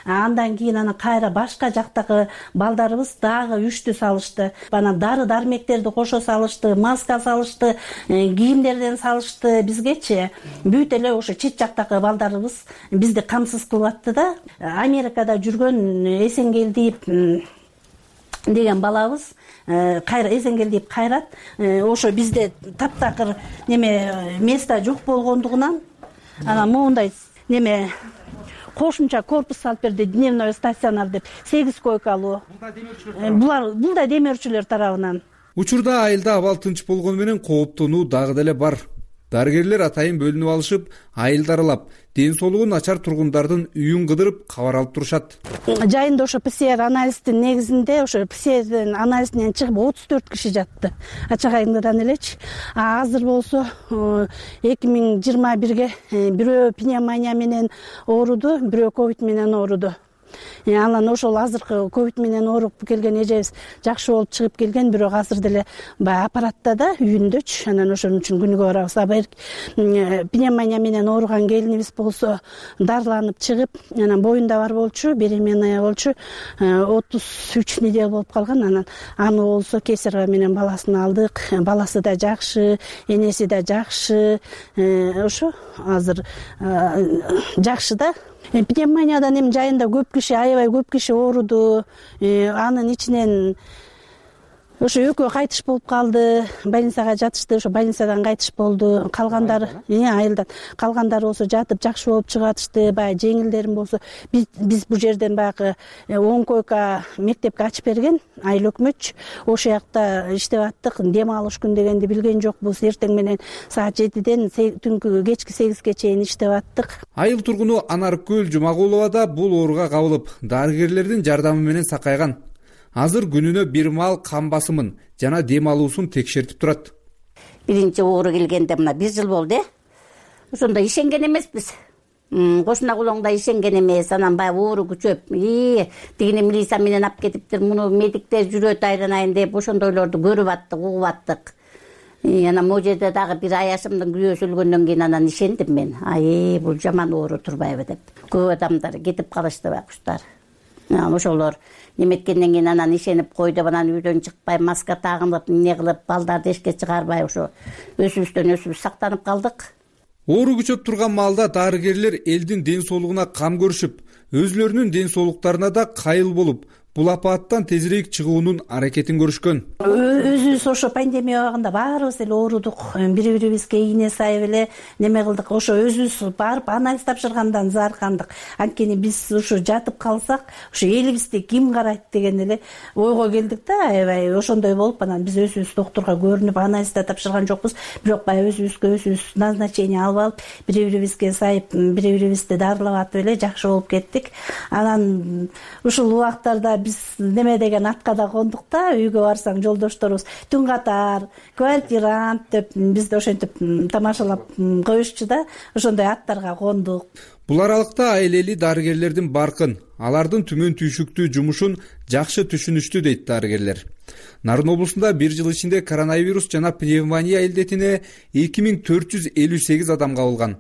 Андан кийин анан кайра башка жактагы балдарыбыз дагы 3-тү салышты. Анан дары дармектерди кошо салышты, маска салышты, кийимдерден салышты бизгечи. Бүт эле ошо чет жактагы балдарыбыз бизди камсыз кылып атты да. Америкада жүргөн Эсенгелдиев деген балабыз кайра Эсенгелдиев Кайрат, ошо бизде таптакыр неме место жок болгондугунан анан моундай неме кошумча корпус салып берди, дневной стационар деп, 8 койкалуу. Бул да демөөрчүлөр тарабынан. Учурда айылда абал тынч болгону менен кооптонуу дагы деле бар. Дарыгерлер атайын бөлүнүп алышып, айылды аралап, ден соолугу начар тургундардын үйүн кыдырып кабар алып турушат. Жайында ошо ПЦР анализдин негизинде, ошо ПЦРдин анализинен чыгып 34 киши жатты. Ачак айылдан элечи. Азыр болсо 2021ге бирөө пневмония менен ооруду, бирөө ковид менен ооруду. Анан ошол азыркы ковид менен ооруп келген эжебиз жакшы болуп чыгып келген, бирок азыр деле баягы аппаратта да үйүндөчү. Анан ошон үчүн күнүгө барабыз. Пневмония менен ооруган келинибиз болсо дарыланып чыгып, анан боюнда бар болчу, беременная болчу, 33 неделя болуп калган. Анан аны болсо кесарево менен баласын алдык. Баласы да жакшы, энеси да жакшы. Ошо азыр жакшы да. Пневмониядан эми жайында көп киши, аябай көп киши ооруду. Анын ичинен ошо экөө кайтыш болуп калды, больницага жатышты, ошо больницадан кайтыш болду. Калгандары, айылдан калгандары болсо жатып жакшы болуп чыгатышты. Баягы жеңилдерин болсо биз бул жерден баягы 10 койка мектепке ачып берген айыл өкмөтчү. Ошол жакта иштеп аттык. Дем алыш күн дегенди билген жокпуз. Эртең менен саат 7ден түнкү кечки 8ге чейин иштеп аттык. Айыл тургуну Анаркөл Жумагулова да бул ооруга кабылып, дарыгерлердин жардамы менен сакайган. Азыр күнүнө бир маал кан басымын жана дем алуусун текшертип турат. Биринчи оору келгенде мына 1 жыл болду. Ошондо ишенген эмеспиз. Кошуна кулоңда ишенген эмес. Анан баягы оору күчөп, тигини милиция менен алып кетиптир, муну медиктер жүрөт айланайын деп ошондойлорду көрүп аттык, угуп аттык. Анан могу жерде дагы бир аяшымдын күйөөсү өлгөндөн кийин анан ишендим мен. Бул жаман оору турбайбы деп. Көп адамдар кетип калышты байкуштар. Ошолор неметкенден кийин анан ишенип койду, анан үйдөн чыкпай, маска тагынып, эмне кылып, балдарды эшикке чыгарбай ошо өзүбүз сактанып калдык. Оору күчөп турган маалда дарыгерлер элдин ден соолугуна кам көрүшүп, өзүлөрүнүн ден соолуктарына да кайыл болуп, бул апааттан тезирээк чыгуунун аракетин көрүшкөн. Өзүбүз ошо пандемия убагында баарыбыз эле оорудук. Бири-бирибизге ийне сайып эле неме кылдык. Ошо өзүбүз барып анализ тапшыргандан зааркандык. Анткени биз ошо жатып калсак, ошо элибизди ким карайт деген эле ойго келдик да. Аябай ошондой болуп, анан биз өзүбүз доктурга көрүнүп анализ да тапшырган жокпуз. Бирок баягы өзүбүз назначение алып алып, бири-бирибизге сайып, бири-бирибизди дарылап атып эле жакшы болуп кеттик. Анан ушул убактарда биз неме деген атка да кондук да. Үйгө барсаң жолдошторубуз түн катар, квартирант деп бизди ошентип тамашалап коюшчу да. Ошондой аттарга кондук. Бул аралыкта айлели дарыгерлердин баркын, алардын түмөн түйшүктүү жумушун жакшы түшүнүштү дейт дарыгерлер. Нарын облусунда 1 жыл ичинде коронавирус жана пневмония илдетине 2458 адам кабылган.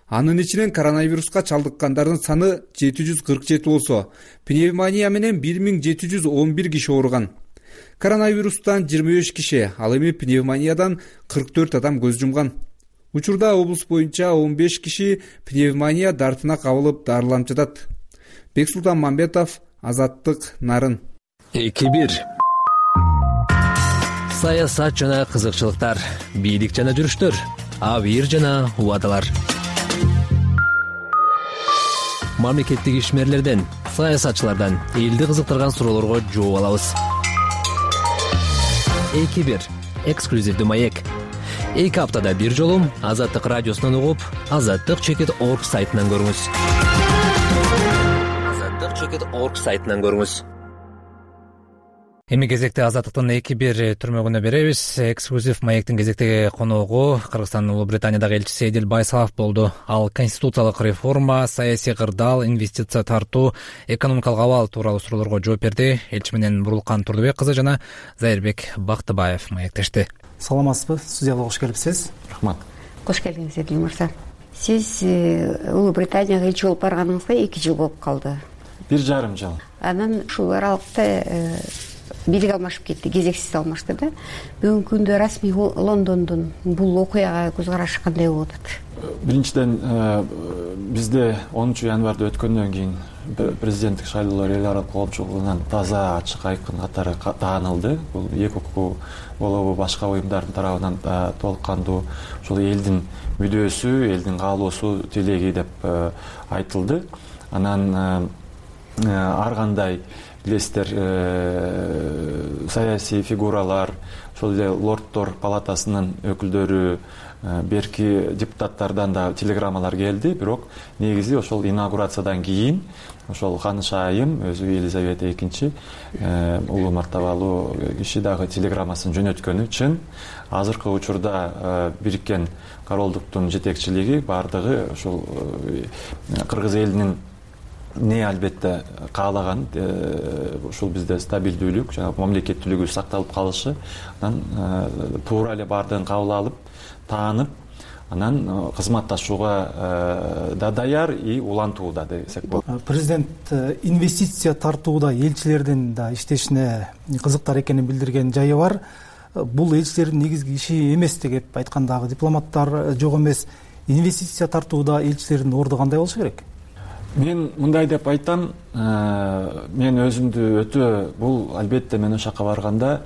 Анын ичинен коронавируска чалдыккандардын саны 747 болсо, пневмония менен 1711 киши ооруган. Коронавирустан 25 киши, ал эми пневмониядан 44 адам көз жумган. Учурда облус боюнча 15 киши пневмония дартына кабылып дарыланып жатат. Бексултан Мамбетов, Азаттык, Нарын. 2-1. Саясат жана кызыкчылыктар, бийлик жана жүрүштөр, абийир жана убадалар. Мамлекеттик ишмерлерден, саясатчылардан элди кызыктырган суроолорго жооп алабыз. 2-1. Эксклюзивдүү маек. 2 аптада бир жолу Азаттык радиосунан угуп, azattik.org сайтынан көрүңүз. azattik.org сайтынан көрүңүз. Эми кезекте Азаттыктын 2-1 түрмөгүнө беребиз. Эксклюзив маектин кезектеги коногу Кыргызстандын Улуу Британиядагы элчиси Эдил Байсалов болду. Ал конституциялык реформа, саясий кырдаал, инвестиция тартуу, экономикалык абал тууралуу суроолорго жооп берди. Элчи менен Бурулкан Турдубек кызы жана Зайырбек Бактыбаев маектешти. Саламатсызбы? Студияга кош келипсиз. Рахмат. Кош келдиңиз, Эдил мырза. Сиз Улуу Британияга элчи болуп барганыңызга 2 жыл болуп калды. 1,5 жыл. Анан ушул аралыкта бийлик алмашып кетти, кезексиз алмашты да. Бүгүнкү күндө расмий Лондондун бул окуяга көз карашы кандай болуп атат? Биринчиден бизде 10 январда өткөндөн кийин президенттик шайлоолор эл аралык коомчулугунан таза, ачык, айкын катары таанылды. Бул эки укук болобу башка уюмдардын тарабынан толук кандуу ошол элдин мүдөөсү, элдин каалоосу, тилеги деп айтылды. Анан ар кандай билесиздер саясий фигуралар, ошол эле лорддор палатасынын өкүлдөрү, берки депутаттардан да телеграммалар келди. Бирок негизи ошол инаугурациядан кийин ошол ханыш айым өзү Елизавета II улуу мартабалуу киши дагы телеграммасын жөнөткөнү чын. Азыркы учурда Бириккен Королдуктун жетекчилиги бардыгы ошол кыргыз элинин эмне албетте каалаган ушул бизде стабилдүүлүк, жанагы мамлекеттүүлүгүбүз сакталып калышы, анан туура эле баардыгын кабыл алып, таанып, анан кызматташууга да даяр и улантууда десек болот. Президент инвестиция тартууда элчилердин да иштешине кызыктар экенин билдирген жайы бар. Бул элчилердин негизги иши эмес деп айткандагы дипломаттар жок эмес. Инвестиция тартууда элчилердин орду кандай болушу керек? Мен мындай деп айтам, мен өзүмдү өтө, бул албетте мен ошол жака барганда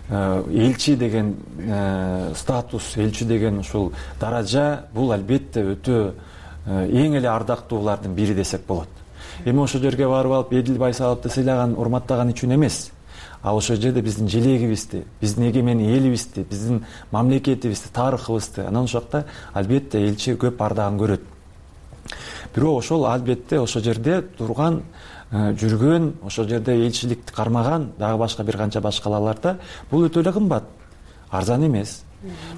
элчи деген статус, элчи деген ушул даража, бул албетте өтө эң эле ардактуулардын бири десек болот. Эми ошол жерге барып алып, эдил байсаловду сыйлаган, урматтаган үчүн эмес, а ошол жерде биздин желегибизди, биздин эгемендүү элибизди, биздин мамлекетибизди, тарыхыбызды, анан ошол жакта албетте элчи көп ардагын көрөт. Бирок ошол албетте ошол жерде турган, жүргөн, ошол жерде элчиликти кармаган дагы башка бир канча башкаларда бул өтө эле кымбат, арзан эмес.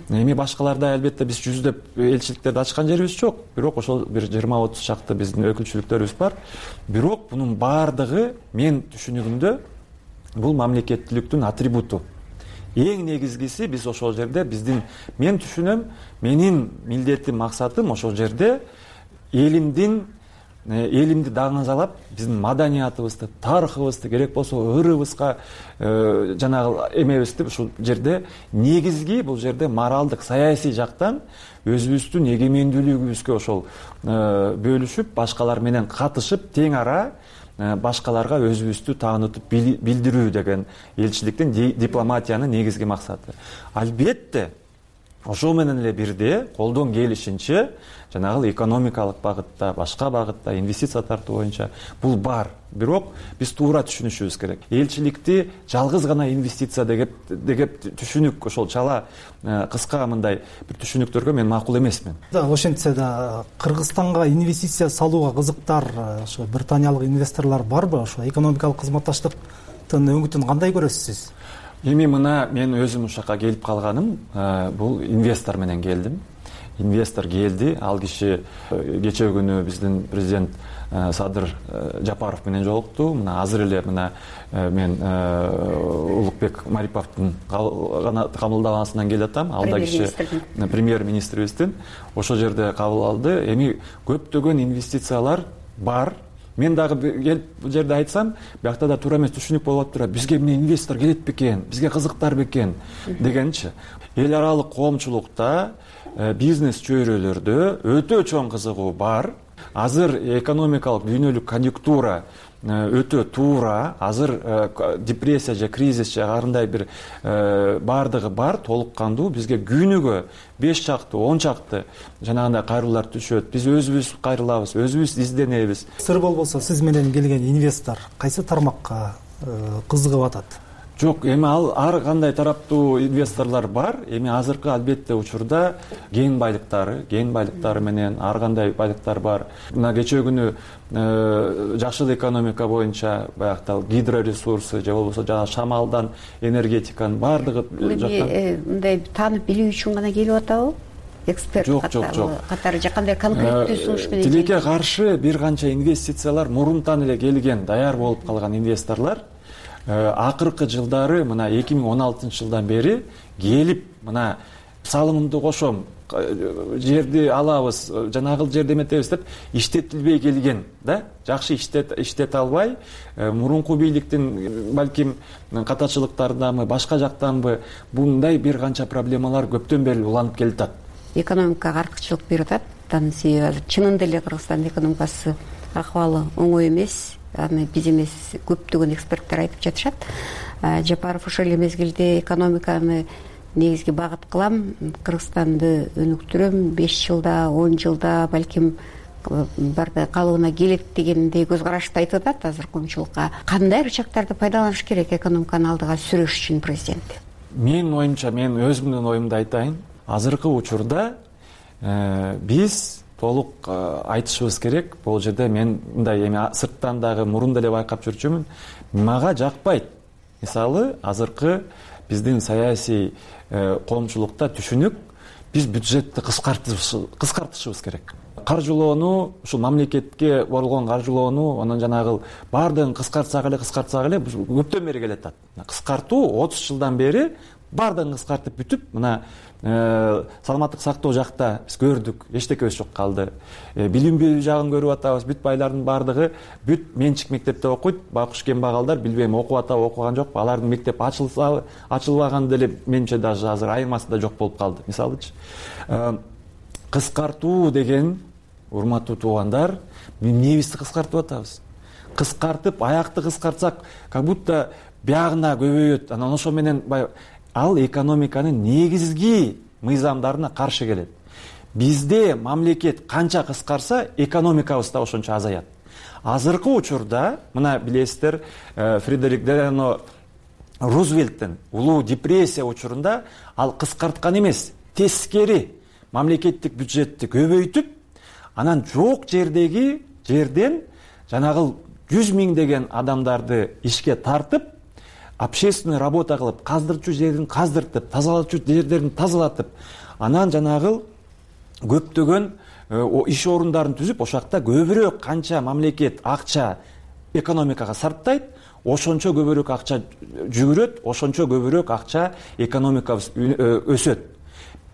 Эми башкаларда албетте биз жүздөп элчиликтерди ачкан жерибиз жок, бирок ошол бир 20-30 чакты биздин өкүлчүлүктөрүбүз бар. Бирок бунун баардыгы мен түшүнүгүмдө бул мамлекеттүүлүктүн атрибуту. Эң негизгиси биз ошол жерде мен түшүнөм, менин милдетим, максатым ошол жерде элимди даңазалап, биздин маданиятыбызды, тарыхыбызды, керек болсо ырыбызга жанагы эмебизди ушул жерде негизги, бул жерде моралдык, саясий жактан өзүбүздүн эгемендүүлүгүбүзгө ошол бөлүшүп, башкалар менен катышып, тең ара башкаларга өзүбүздү таанытып билдирүү деген элчиликтин, дипломатиянын негизги максаты. Албетте ошол менен эле бирде колдон келишинче жанагы экономикалык багытта, башка багытта, инвестиция тартуу боюнча бул бар. Бирок биз туура түшүнүшүбүз керек. Элчиликти жалгыз гана инвестиция деп түшүнүк, ошол чала кыска мындай бир түшүнүктөргө мен макул эмесмин. Ошентсе да Кыргызстанга инвестиция салууга кызыктар ошо британиялык инвесторлор барбы? Ошо экономикалык кызматташтыктын өңүтүн кандай көрөсүз сиз? Эми мына мен өзүм ушул жака келип калганым, бул инвестор менен келдим. Инвестор келди, ал киши кечээ күнү биздин президент Садыр Жапаров менен жолукту. Мына азыр эле мына мен Улукбек Мариповдун кабылдагансынан келип атам. Ал да киши премьер-министрибиздин ошол жерде кабыл алды. Эми көптөгөн инвестициялар бар. Мен дагы келип бул жерде айтсам, биякта да туура эмес түшүнүк болуп тура, бизге эмне инвестор келет бекен, бизге кызыктар бекен дегенчи. Эл аралык коомчулукта, бизнес чөйрөлөрдө өтө чоң кызыгуу бар. Азыр экономикалык дүйнөлүк конъюнктура өтө туура, азыр депрессия же кризис же кандай бир баардыгы бар, толук кандуу. Бизге күнүгө 5 чакты, 10 чакты жанагындай кайрылуулар түшөт. Биз өзүбүз кайрылабыз, өзүбүз изденебиз. Сыр болбосо сиз менен келген инвестор кайсы тармакка кызыгып атат? Жок, эми ал ар кандай тараптуу инвесторлор бар. Эми азыркы албетте учурда кен байлыктары менен ар кандай байлыктар бар. Мына кечээ күнү жашыл экономика боюнча баягы гидроресурсы же болбосо жана шамалдан энергетиканын баардыгы жактан мындай таанып билүү үчүн гана келип атабы? Эксперт катары же кандай конкреттүү сунуш менен? Тилекке каршы бир канча инвестициялар мурунтан эле келген, даяр болуп калган инвесторлор акыркы жылдары мына 2016 жылдан бери келип, мына салымымды кошом, жерди алабыз, жанагыл жерди эметебиз деп иштетилбей келген, да? Жакшы иштете албай, мурунку бийликтин балким катачылыктарынданбы, башка жактанбы мындай бир канча проблемалар көптөн бери уланып келатат. Экономикага артыкчылык берип атат. Анын себеби чынында эле Кыргызстандын экономикасы акыбалы оңой эмес. Аны биз эмес, көптөгөн эксперттер айтып жатышат. Жапаров ошол эле мезгилде экономиканы негизги багыт кылам, Кыргызстанды өнүктүрөм, 5 жылда, 10 жылда балким барды калыбына келет дегендей көз карашты айтып атат азыр коомчулукка. Кандай рычагтарды пайдаланыш керек экономиканы алдыга сүрүш үчүн президент? Менин оюмча, мен өзүмдүн оюмду айтайын. Азыркы учурда биз толук айтышыбыз керек. Бул жерде мен мындай эми сырттан дагы мурун деле байкап жүрчүмүн. Мага жакпайт. Мисалы, азыркы биздин саясий коомчулукта түшүнүк биз бюджетти кыскартышыбыз керек. Каржылоону, ушул мамлекетке болгон каржылоону, анан жанагы баардыгын кыскартсак эле көптөн бери келатат. Кыскартуу 30 жылдан бери баардыгын кыскартып бүтүп, мына саламаттык сактоо жакта биз көрдүк, эчтекебиз жок калды. Билим берүү жагын көрүп атабыз, бүт байлардын баардыгы бүт менчик мектепте окуйт, байкуш кембагалдар билбейм окуп атабы, окуган жокпу, алардын мектеп ачылбаган деле менимче даже азыр айырмасы да жок болуп калды. Мисалычы, кыскартуу деген, урматтуу туугандар, эмнебизди кыскартып атабыз? Кыскартып, аякты кыскартсак, как будто биягына көбөйөт. Анан ошо менен ал экономиканын негизги мыйзамдарына каршы келет. Бизде мамлекет канча кыскарса, экономикабыз да ошончо азаят. Азыркы учурда, мына билесиздер, Фредерик Делано Рузвельттин улуу депрессия учурунда ал кыскарткан эмес, тескери мамлекеттик бюджетти көбөйтүп, анан жок жерден жанагы 100 миңдеген адамдарды ишке тартып, общественный работа кылып, каздырчу жерин каздыртып, тазалачу жерлерин тазалатып, анан жанагы көптөгөн иш орундарын түзүп, ошакта көбүрөөк канча мамлекет акча экономикага сарптайт, ошончо көбүрөөк акча жүгүрөт, ошончо көбүрөөк акча экономикабыз өсөт.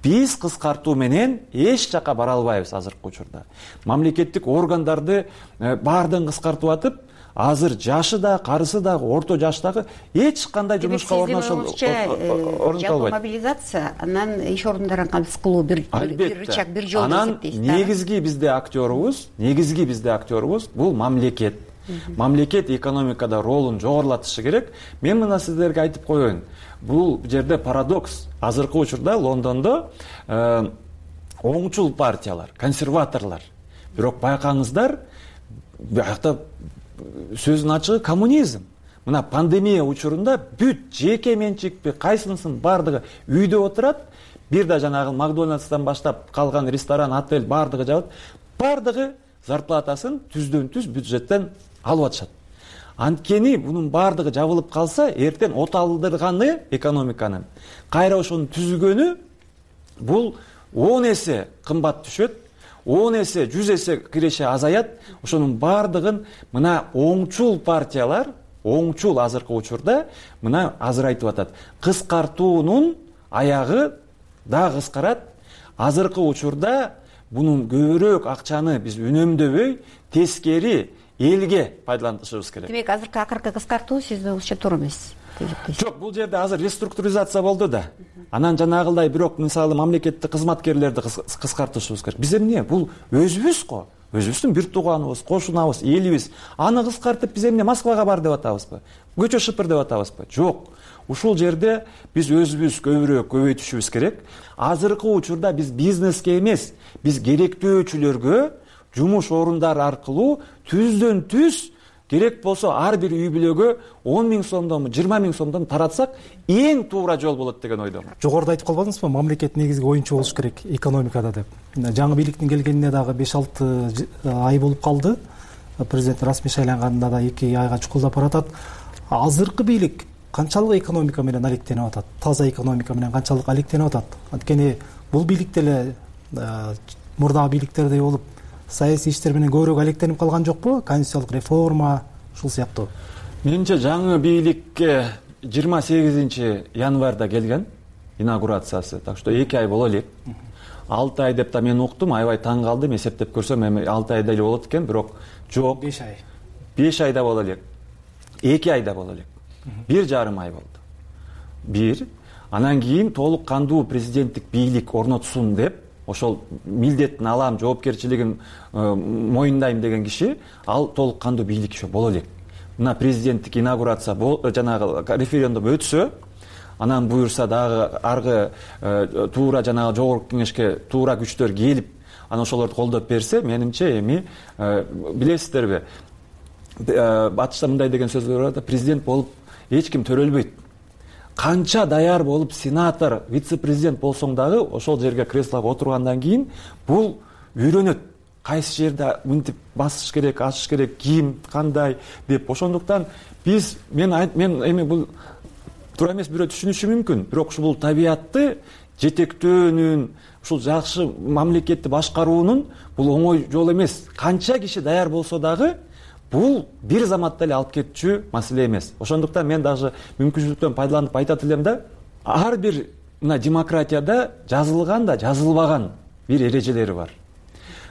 Биз кыскартуу менен эч жака бара албайбыз азыркы учурда. Мамлекеттик органдарды баардыгын кыскартып атып, азыр жашы да, карысы да, орто жаштагы эч кандай жумушка орнотулбайт. Жалпы мобилизация, анан иш орундарын кабыз кылуу бир рычаг, бир жол деп эсептейсиз. Анан негизги бизде актерубуз бул мамлекет. Мамлекет экономикада ролун жогорулатышы керек. Мен мына сиздерге айтып коеюн. Бул жерде парадокс. Азыркы учурда Лондондо оңчул партиялар, консерваторлар. Бирок байкаңыздар, бuyakta сөзүн ачыгы коммунизм. Мына пандемия учурунда бүт жеке менчикпи, кайсынысын бардыгы үйдө отурат, бир да жанагы Макдональдстан баштап калган ресторан, отель бардыгы жабыт. Бардыгы зарплатасын түздөн-түз бюджеттен алып атышат. Анткени бунун бардыгы жабылып калса, эртең оталдырганы экономиканын, кайра ошону түзгөнү бул 10 эсе кымбат түшөт, 10 эсе, 100 эсе киреше азаят. Ошонун бардыгын мына оңчул партиялар, оңчул азыркы учурда мына азыр айтып атат. Кыскартуунун аягы да кыскарат. Азыркы учурда бунун көбүрөөк акчаны биз үнөмдөбөй, тескери элге пайдаланышыбыз керек. Демек, азыркы акыркы кыскартуу сизде ушча туура эмес. Жок, бул жерде азыр реструктуризация болду да. Анан жанагылдай бирок мисалы мамлекеттик кызматкерлерди кыскартышыбыз керек. Биз эмне? Бул өзүбүз го. Өзүбүздүн бир тууганыбыз, кошунабыз, элибиз. Аны кыскартып биз эмне Москвага бар деп атабызбы? Көчө шыпыр деп атабызбы? Жок. Ушул жерде биз өзүбүз көбөйтүшүбүз керек. Азыркы учурда биз бизнеске эмес, биз керектөөчүлөргө жумуш орундары аркылуу түздөн түз керек болсо ар бир үй бүлөгө 10 миң сомдон, 20 миң сомдон таратсак, эң туура жол болот деген ойдомун. Жогоруда айтып калбадыңызбы, мамлекет негизги оюнчу болуш керек экономикада деп. Жаңы бийликтин келгенине дагы 5-6 ай болуп калды. Президент расмий шайланганына да 2 айга чукулдап баратат. Азыркы бийлик канчалык экономика менен алектенип атат? Таза экономика менен канчалык алектенип атат? Анткени бул бийлик деле мурдагы бийликтердей болуп саясий иштер менен көбүрөөк алектенип калган жокпу? Конституциялык реформа ушул сыяктуу. Менимче жаңы бийликке 28 январда келген инаугурациясы. Так что 2 ай боло элек. 6 ай деп да мен уктум, аябай таң калдым. Эсептеп көрсөм эми 6 айда эле болот экен, бирок жок. 5 ай. 5 айда боло элек. 2 айда боло элек. 1,5 ай болду. Бир. Анан кийин толук кандуу президенттик бийлик орнотсун деп, ошол милдеттин алам, жоопкерчилигин моюндайм деген киши, ал толук кандуу бийлик ошо боло элек. Мына президенттик инаугурация жанагы референдум өтсө, анан буюрса дагы аргы туура жанагы жогорку кеңешке туура күчтөр келип, анан ошолорду колдоп берсе, менимче эми билесиздерби, батышта мындай деген сөз бар да, президент болуп эч ким төрөлбөйт. Канча даяр болуп сенатор, вице-президент болсоң дагы ошол жерге креслого отургандан кийин бул үйрөнөт. Кайсы жерде мынтип басыш керек, ачыш керек, ким, кандай деп. Ошондуктан биз мен эми бул туура эмес бирөө түшүнүшү мүмкүн, бирок ушул бул табиятты жетектөөнүн, ушул жакшы мамлекетти башкаруунун бул оңой жол эмес. Канча киши даяр болсо дагы бул бир заматта эле алып кетчү маселе эмес. Ошондуктан мен даже мүмкүнчүлүктөн пайдаланып айтат элем да, ар бир мына демократияда жазылган да жазылбаган бир эрежелери бар.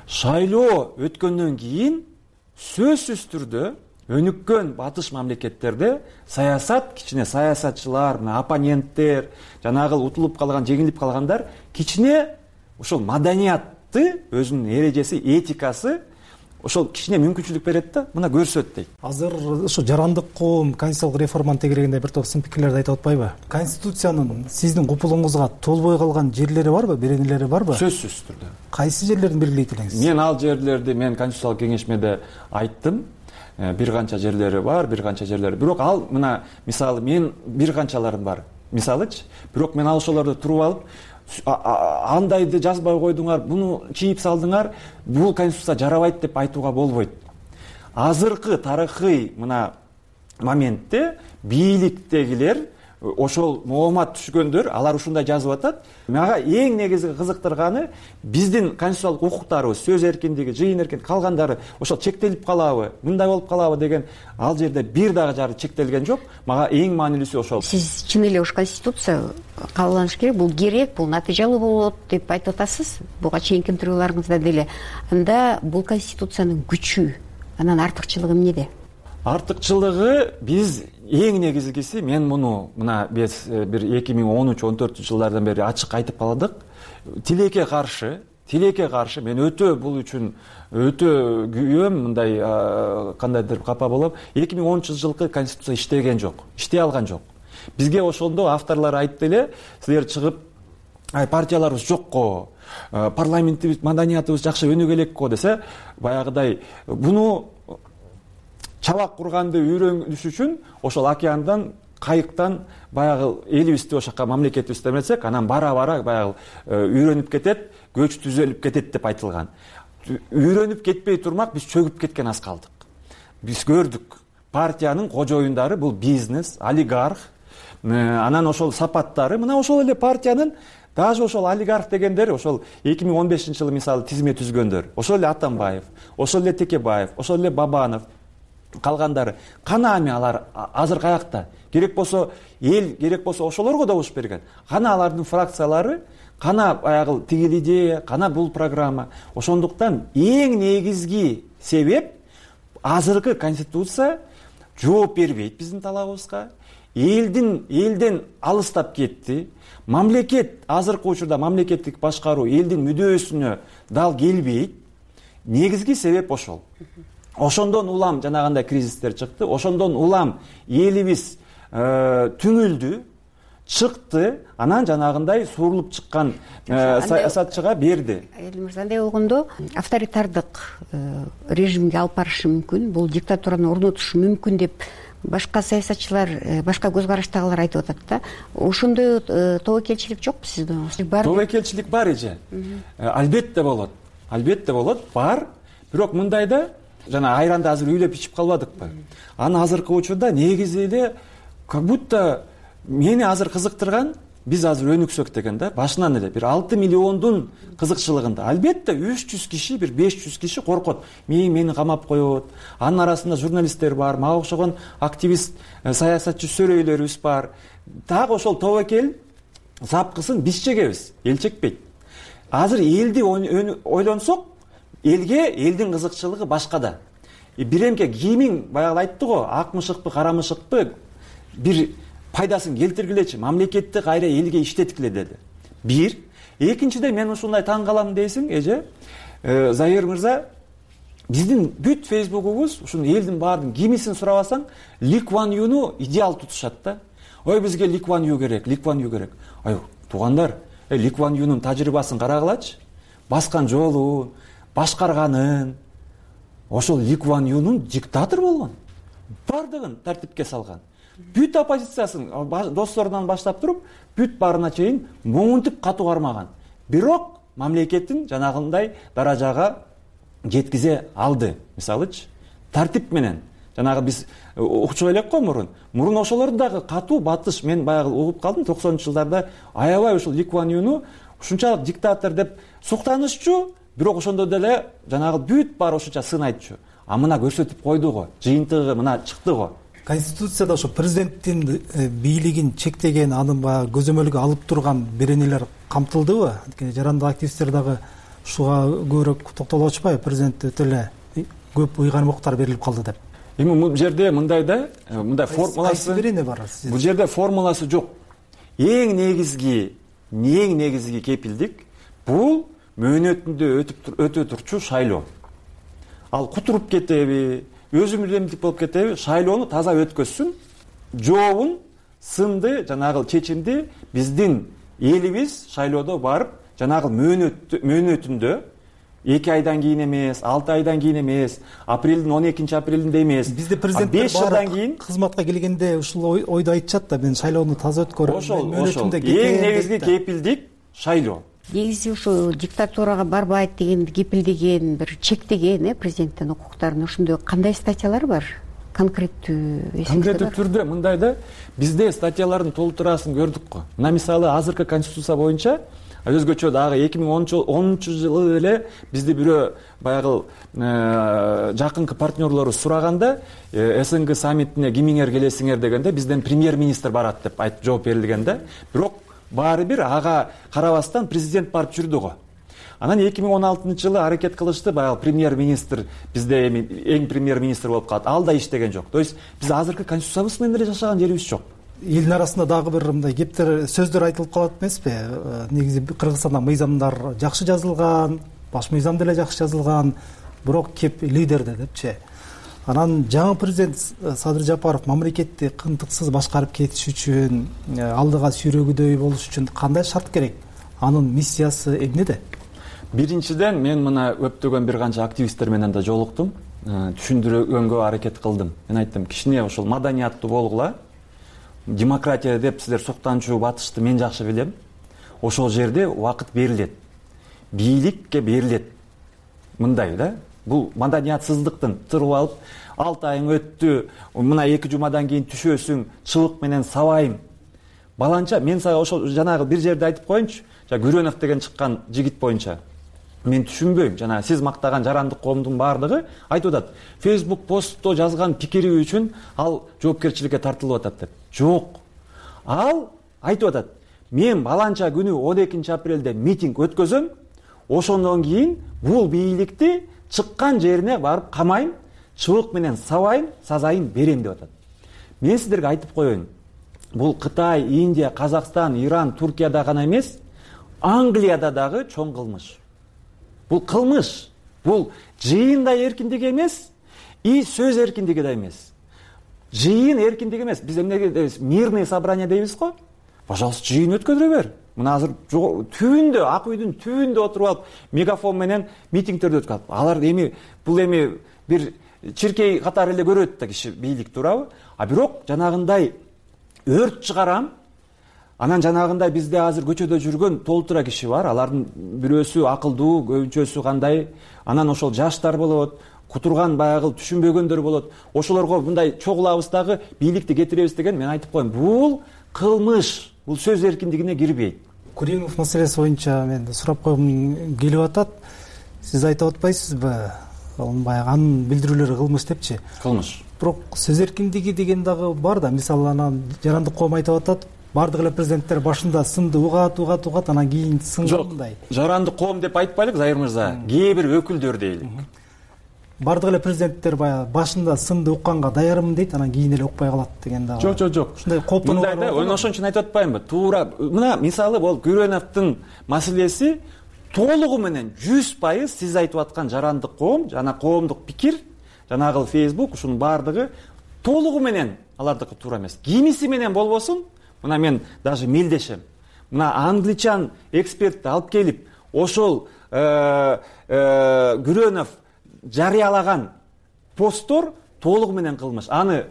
Шайлоо өткөндөн кийин сөзсүз түрдө өнүккөн батыш мамлекеттерде саясат, кичине саясатчылар, оппоненттер, жанагы утулуп калган, жеңилип калгандар кичине ошол маданиятты, өзүнүн эрежеси, этикасы ошол кичине мүмкүнчүлүк берет да, мына көрсөт дейт. Азыр ушу жарандык коом конституциялык реформаны тегерегенде бир топ сын пикирлерди айтып атпайбы? Конституциянын сиздин купулуңузга толбой калган жерлери барбы, беренелери барбы? Сөзсүз түрдө. Кайсы жерлерин белгилейт элеңиз? Мен ал жерлерди конституциялык кеңешмеде айттым. Бир канча жерлери бар, бир канча жерлери. Бирок ал мына мисалы мен бир канчаларым бар. Мисалычы, бирок мен ал ошолорду туруп алып андайды жазбай койдуңар, буну чийип салдыңар, бул конституция жарабайт деп айтууга болбойт. Азыркы тарыхый мына моментте бийликтегилер ошол моомат түшкөндөр, алар ушундай жазып атат. Мага эң негизги кызыктырганы биздин конституциялык укуктарыбыз, сөз эркиндиги, жыйын эркиндиги калгандары ошол чектелип калабы, мындай болуп калабы деген ал жерде бир дагы жары чектелген жок. Мага эң маанилүүсү ошол. Сиз чын эле ушу конституция кабылданыш керек, бул керек, бул натыйжалуу болот деп айтып атасыз. Буга чейинки интервьюларыңызда деле. Анда бул конституциянын күчү, анан артыкчылыгы эмнеде? Артыкчылыгы биз эң негизгиси, мен муну мына биз бир 2013-14 жылдардан бери ачык айтып калдык. Тилекке каршы мен өтө бул үчүн өтө күйөм, мындай кандайдыр капа болом. 2013 жылкы конституция иштеген жок, иштей алган жок. Бизге ошондо авторлор айтты эле, силер чыгып партияларыбыз жокко, парламентибиз, маданиятыбыз жакшы өнүгө элекко десе, баягыдай буну чабак курганды үйрөнүш үчүн ошол океандан, кайыктан баягы элибизди ошока, мамлекетибизди эметсек, анан бара-бара баягы үйрөнүп кетет, көч түзөлүп кетет деп айтылган. Үйрөнүп кетпей турмак биз чөгүп кеткен аз калдык. Биз көрдүк, партиянын кожоюндары бул бизнес, олигарх, анан ошол сапаттары, мына ошол эле партиянын даже ошол олигарх дегендер ошол 2015 жылы мисалы тизме түзгөндөр, ошол эле Атамбаев, ошол эле Текебаев, ошол эле Бабанов, калгандары кана эми алар азыр каякта? Керек болсо эл, керек болсо ошолорго добуш берген. Кана алардын фракциялары, кана баягы тигил идея, кана бул программа. Ошондуктан эң негизги себеп азыркы конституция жооп бербейт биздин талабыбызга. Элден алыстап кетти. Мамлекет азыркы учурда мамлекеттик башкаруу элдин мүдөөсүнө дал келбейт. Негизги себеп ошол. Ошондон улам жанагындай кризистер чыкты, ошондон улам элибиз түңүлдү, чыкты, анан жанагындай суурулуп чыккан саясатчыга берди. Мырза, андай болгондо авторитардык режимге алып барышы мүмкүн, бул диктатураны орнотушу мүмкүн деп башка саясатчылар, башка көз караштагылар айтып атат да. Ошондой тобокелчилик жокпу сизде? Тобокелчилик бар эже. Албетте болот. Албетте болот, бар. Бирок мындайда жана айранды азыр үйлөп ичип калбадыкпы? Аны азыркы учурда негизи эле как будто мени азыр кызыктырган, биз азыр өнүксөк деген да, башынан эле бир 6 миллиондун кызыкчылыгында. Албетте 300 киши, бир 500 киши коркот. Мени камап коет. Анын арасында журналисттер бар, мага окшогон активист, саясатчы сөрөйлөрүбүз бар. Дагы ошол тобокел запкысын биз чегебиз, эл чекпейт. Азыр элди ойлонсок, элдин кызыкчылыгы башкада. Биремке кимиң баягы айтты го, ак мышыкпы, кара мышыкпы бир пайдасын келтиргилечи, мамлекетти кайра элге иштеткиле деди. Бир. Экинчиде мен ушундай таң калам дейсиң, эже. Заир мырза, биздин бүт фейсбугубуз, ушун элдин баардын кимисин сурабасаң, Ли Куан Юну идеал тутушат да. Ой, бизге Ли Куан Ю керек, Ли Куан Ю керек. Ай, туугандар, Ли Куан Юнун тажрыйбасын карагылачы. Баскан жолун, башкарганын. Ошол Ли Куан Юнун диктатор болгон. Бардыгын тартипке салган. Бүт оппозициясын досторунан баштап туруп, бүт барына чейин моңунтуп катуу кармаган. Бирок мамлекеттин жанагындай даражага жеткизе алды. Мисалычы, тартип менен жанагы биз укчу элек го мурун ошолорду дагы катуу батыш. Мен баягы угуп калдым 90-жылдарда аябай ушул Ли Куан Юну ушунчалык диктатор деп суктанышчу, бирок ошондо деле жанагы бүт баары ошонча сынайтчу. А мына көрсөтүп койду го, жыйынтыгы мына чыкты го. Конституцияда ошо президенттин бийлигин чектеген, анын баягы көзөмөлгө алып турган беренелер камтылдыбы? Анткени жарандык активисттер дагы ушуга көбүрөөк токтолуп атышпайбы? Президент өтө эле көп уйгармактар берилип калды деп. Эми бул жерде мындай да, мындай формуласы берене бар. Бул жерде формуласы жок. Эң негизги кепилдик бул мөөнөтүндө өтө турчу шайлоо. Ал кутуруп кетеби, өзүмдүмдүк болуп кетеби, шайлоону таза өткөзсүн. Жообун, сынды жанагы чечимди биздин элибиз шайлоодо барып, жанагы мөөнөтүндө 2 айдан кийин эмес, 6 айдан кийин эмес, апрелдин 12-апрелинде эмес, бизде президенттер 5 жылдан кийин кызматка келгенде ушул ойду айтышат да, мен шайлоону таза өткөрөм. Ошол эң негизги кепилдик шайлоо. Негизи ушу диктатурага барбайт деген кепилдеген, бир чектеген президенттин укуктарын ошондой кандай статьялар бар? Конкреттүү түрдө мындай да, бизде статьялардын толтурасын көрдүк го. Мына мисалы азыркы конституция боюнча өзгөчө дагы 2010-жылы эле бизди бирөө баягы жакынкы партнерлору сураганда СНГ саммитине кимиңер келесиңер дегенде бизден премьер-министр барат деп айтып жооп берилген да. Бирок баары бир ага карабастан президент барып жүрдү го. Анан 2016-жылы аракет кылышты, баягы премьер-министр бизде эми эң премьер-министр болуп калат. Ал да иштеген жок. То есть биз азыркы конституциябыз менен эле жашаган жерибиз жок. Элдин арасында дагы бир мындай кептер сөздөр айтылып калат эмеспи? Негизи Кыргызстанда мыйзамдар жакшы жазылган, баш мыйзам деле жакшы жазылган, бирок кеп лидерде депчи. Анан жаңы президент Садыр Жапаров мамлекетти кынтыксыз башкарып кетиш үчүн, алдыга сүйрөгүдөй болуш үчүн кандай шарт керек? Анын миссиясы эмнеде? Биринчиден мен мына көптөгөн бир канча активисттер менен да жолуктум, түшүндүргөнгө аракет кылдым. Мен айттым, кичине ошол маданияттуу болгула. Демократия деп силер суктанчу батышты мен жакшы билем. Ошол жерде убакыт берилет. Бийликке берилет. Мындай да. Бул маданиятсыздыктын тырып алып, 6 айың өттү, мына 2 жумадан кийин түшөсүң, чыбык менен сабайм. Баланча мен сага ошол жанагы бир жерде айтып коеюнчу. Гүрөнов деген чыккан жигит боюнча. Мен түшүнбөйм. Жана сиз мактаган жарандык коомдун баардыгы айтып атат. Facebook постто жазган пикири үчүн ал жоопкерчиликке тартылып атат деп. Жок. Ал айтып атат. Мен баланча күнү 12-апрелде митинг өткөзөм. Ошондон кийин бул бийликти чыккан жерине барып камайм, чыбык менен сабайм, сазайын берем деп атат. Мен сиздерге айтып коеюн. Бул Кытай, Индия, Казакстан, Иран, Туркияда гана эмес, Англияда дагы чоң кылмыш. Бул кылмыш. Бул жыйын да эркиндиги эмес, и сөз эркиндиги да эмес. Жыйын эркиндиги эмес. Биз эмнеге дейбиз? Мирный собрание дейбиз го. Пожалуйста, жыйын өткөзө бер. Мына азыр түбүндө, ак үйдүн түбүндө отуруп алып, мегафон менен митингтерди өткөрүп. Алар бул бир чиркей катары эле көрөт да киши бийлик туурабы? А бирок жанагындай өрт чыгарам. Анан жанагындай бизде азыр көчөдө жүргөн толтура киши бар. Алардын бирөөсү акылдуу, көбүнчөсү кандай. Анан ошол жаштар болот, кутурган баягы түшүнбөгөндөр болот. Ошолорго мындай чогулабыз дагы бийликти кетиребиз деген мен айтып коем. Бул кылмыш. Бул сөз эркиндигине кирбейт. Куримов маселеси боюнча мен сурап койгум келип атат. Сиз айтып атпайсызбы? Баягы анын билдирүүлөрү кылмыш депчи. Кылмыш. Бирок сөз эркиндиги деген дагы бар да. Мисалы анан жарандык коом айтып атат. Бардык эле президенттер башында сынды угат, анан кийин сынгандай. Жарандык коом деп айтпайлык, Зайыр мырза. Кээ бир өкүлдөр дейлик. Бардык эле президенттер баягы башында сынды укканга даярмын дейт, анан кийин эле укпай калат деген дагы. Жок. Ушундай коопунуу бар. Мындай да, ошон үчүн айтып атпаймынбы? Туура. Мына мисалы бол Гүрөновдун маселеси толугу менен 100% сиз айтып аткан жарандык коом, жана коомдук пикир, жанагы Facebook, ушунун баардыгы толугу менен алардыкы туура эмес. Кимиси менен болбосун, мына мен даже мелдешем. Мына англичан экспертти алып келип, ошол Гүрөнов жарыялаган посттор толугу менен кылмыш. Аны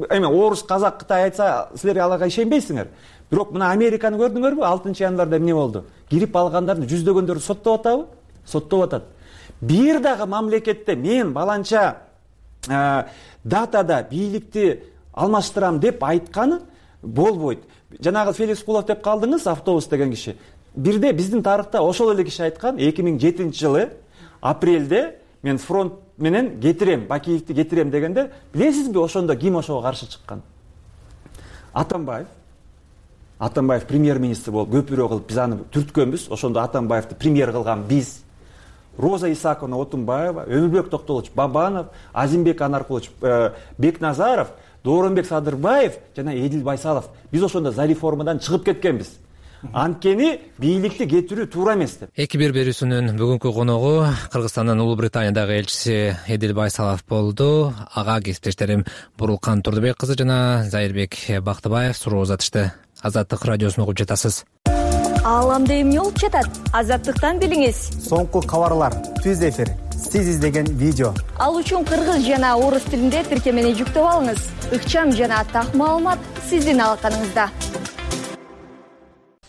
эме орус, казак, кытай айтса, силер аларга ишенбейсиңер. Бирок мына Американы көрдүңөрбү? 6-январда эмне болду? Кирип алгандарды жүздөгөндөрдү соттоп атабы? Соттоп атат. Бир дагы мамлекетте мен баланча датада бийликти алмаштырам деп айтканы болбойт. Жанагы Феликс Кулов деп калдыңыз, автобус деген киши. Бирде биздин тарыхта ошол эле киши айткан 2007-жылы апрелде мен фронт менен кетирем, Бакиевди кетирем дегенде, билесизби ошондо ким ошого каршы чыккан? Атамбаев премьер-министр болуп көпүрө кылып биз аны түрткөнбүз. Ошондо Атамбаевди премьер кылган биз. Роза Исаковна Отунбаева, Өмүрбек Токтолович Бабанов, Азимбек Анаркулович Бекназаров, Дооронбек Садырбаев жана Эдил Байсалов. Биз ошондо за реформадан чыгып кеткенбиз. Анткени бийликти кетирүү туура эмес деп. 2-1 берүүсүнүн бүгүнкү коногу Кыргызстандын Улуу Британиядагы элчиси Эдил Байсалов болду. Ага кесиптештерим Бурулкан Турдубек кызы жана Зайырбек Бактыбаев суроо узатышты. Азаттык радиосун угуп жатасыз. Ааламда эмне болуп жатат? Азаттыктан билиңиз. Соңку кабарлар, түз эфир, сиз издеген видео. Ал үчүн кыргыз жана орус тилинде тиркемени жүктөп алыңыз. Ыкчам жана так маалымат сиздин алаканыңызда.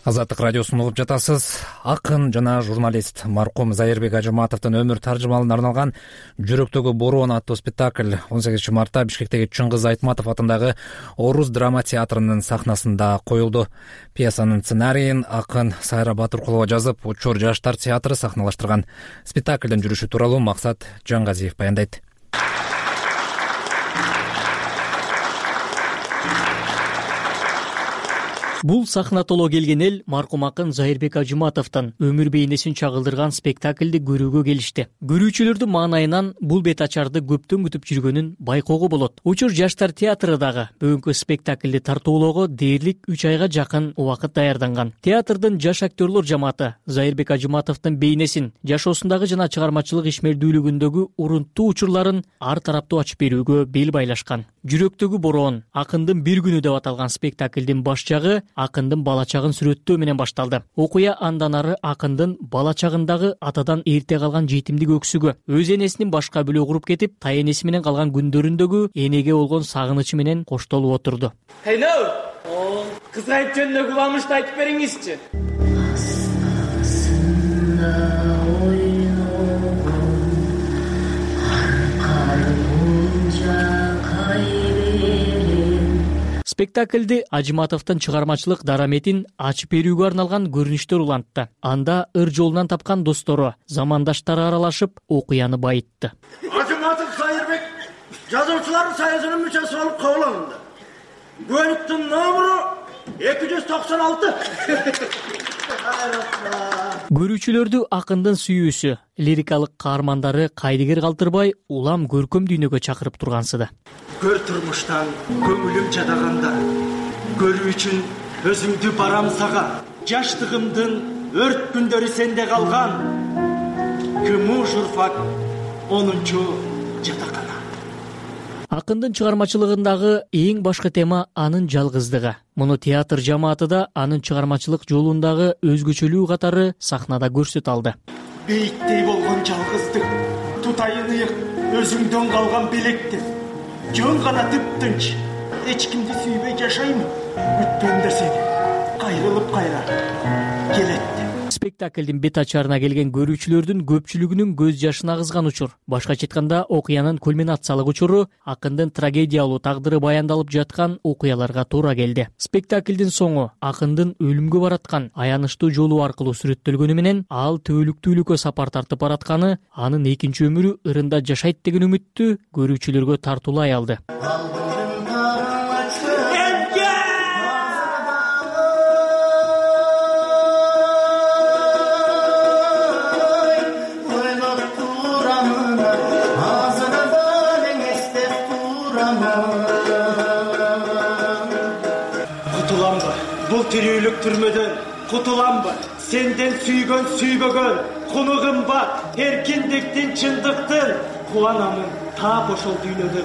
Азаттык радиосун угуп жатасыз. Акын жана журналист маркум Зайырбек Ажыматовдун өмүр таржымалына арналган Жүрөктөгү бороон аттуу спектакль 18-мартта Бишкектеги Чыңгыз Айтматов атындагы Орус драма театрынын сахнасында коюлду. Пьесанын сценарийин акын Сайра Батыркулова жазып, Учур жаштар театры сахналаштырган. Спектаклдин жүрүшү тууралуу Максат Жангазиев баяндайт. Бул сахна толо келген эл маркум акын Зайырбек Ажыматовдун өмүр бейнесин чагылдырган спектаклди көрүүгө келишти. Көрүүчүлөрдүн маанайынан бул бет ачарды көптөн күтүп жүргөнүн байкоого болот. Учур жаштар театры дагы бүгүнкү спектаклди тартуулоого дээрлик 3 айга жакын убакыт даярданган. Театрдын жаш актерлор жамааты Зайырбек Ажыматовдун бейнесин, жашоосундагы жана чыгармачылык ишмердүүлүгүндөгү урунттуу учурларын ар тараптуу ачып берүүгө бел байлашкан. Жүрөктөгү бороон акындын бир күнү деп аталган спектаклдин баш жагы акындын бала чагын сүрөттөө менен башталды. Окуя андан ары акындын бала чагындагы атадан эрте калган жетимдик өксүгү, өз энесинин башка бөлө куруп кетип, тай энеси менен калган күндөрүндөгү энеге болгон сагынычы менен коштолуп отурду. Хейнау, кызгайып жөнүндө куламышты айтып бериңизчи. Спектаклди Ажыматовдун чыгармачылык дараметин ачып берүүгө арналган көрүнүштөр улантты. Анда ыр жолунан тапкан достору, замандаштары аралашып, окуяны байытты. Ажыматов Зайырбек жазуучулар союзунун мүчөсү болуп кабыл алынды. Көлүктүн номуру 296. Көрүүчүлөрдү акындын сүйүүсү, лирикалык каармандары кайдыгер калтырбай улам көркөм дүйнөгө чакырып тургансыды. Көр турмуштан көңүлүм жадаганда, көрүү үчүн өзүңдү барам сага. Жаштыгымдын өрт күндөрү сенде калган. Кымуу журфак 10-чу жатакана. Акындын чыгармачылыгындагы эң башкы тема анын жалгыздыгы. Муну театр жамааты да анын чыгармачылык жолундагы өзгөчөлүү катары сахнада көрсөтө алды. Бейиттей болгон жалгыздык, тутайын ыйык, өзүңдөн калган белектер. Жөн гана тыптынч, эч кимди сүйбөй жашаймын. Күткөндө сени кайрылып кайра келет. Спектаклдин бет ачарына келген көрүүчүлөрдүн көпчүлүгүнүн көз жашын агызган учур. Башкача айтканда, окуянын кульминациялык учуру акындын трагедиялуу тагдыры баяндалып жаткан окуяларга туура келди. Спектаклдин соңу акындын өлүмгө бараткан аянычтуу жолу аркылуу сүрөттөлгөнү менен ал төөлүктүүлүккө сапар тартып баратканы, анын экинчи өмүрү ырында жашайт деген үмүттү көрүүчүлөргө тартуулай алды. Кутуламбы, бул тирүүлүк түрмөдөн кутуламбы, сенден сүйгөн сүйбөгөн, кунугум бар, эркиндиктин, чындыктын, кубанамын таап ошол дүйнөдө.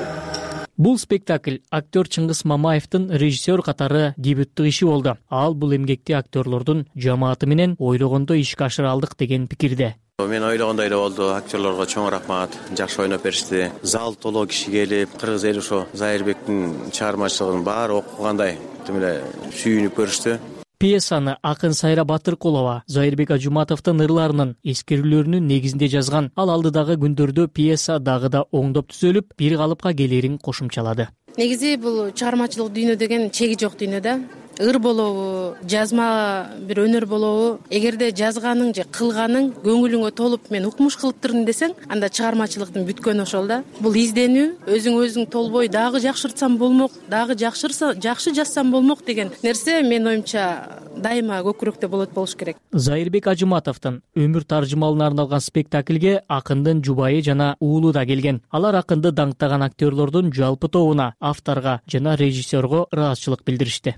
Бул спектакль актер Чыңгыз Мамаевдин режиссер катары дебюттук иши болду. Ал бул эмгекти актерлордун жамааты менен ойлогондой ишке ашыра алдык деген пикирде. Мен ойлогондой эле болду. Актерлорго чоң рахмат. Жакшы ойноп беришти. Зал толо киши келип, кыргыз эли ошо Зайырбектин чыгармачылыгын баары окугандай тим эле сүйүнүп көрүштү. Пьесаны акын Сайра Батыркулова Зайырбек Ажуматовдун ырларынын эскерүүлөрүнүн негизинде жазган. Ал алдыдагы күндөрдө пьеса дагы да оңдоп түзөлүп, бир калыпка келерин кошумчалады. Негизи бул чыгармачылык дүйнө деген чеги жок дүйнө да. Ыр болобу, жазма бир өнөр болобу, эгерде жазганың же кылганың көңүлүңө толуп мен укмуш кылыптырмын десең, анда чыгармачылыктын бүткөнү ошол да. Бул изденүү, өзүң толбой дагы жакшыртсам болмок, дагы жакшы жазсам болмок деген нерсе менин оюмча дайыма көкүрөктө болуш керек. Зайырбек Ажуматовдун өмүр таржымалына арналган спектакльге акындын жубайы жана уулу да келген. Алар акынды даңктаган актерлордун жалпы тобуна, авторго жана режиссерго ыраазычылык билдиришти.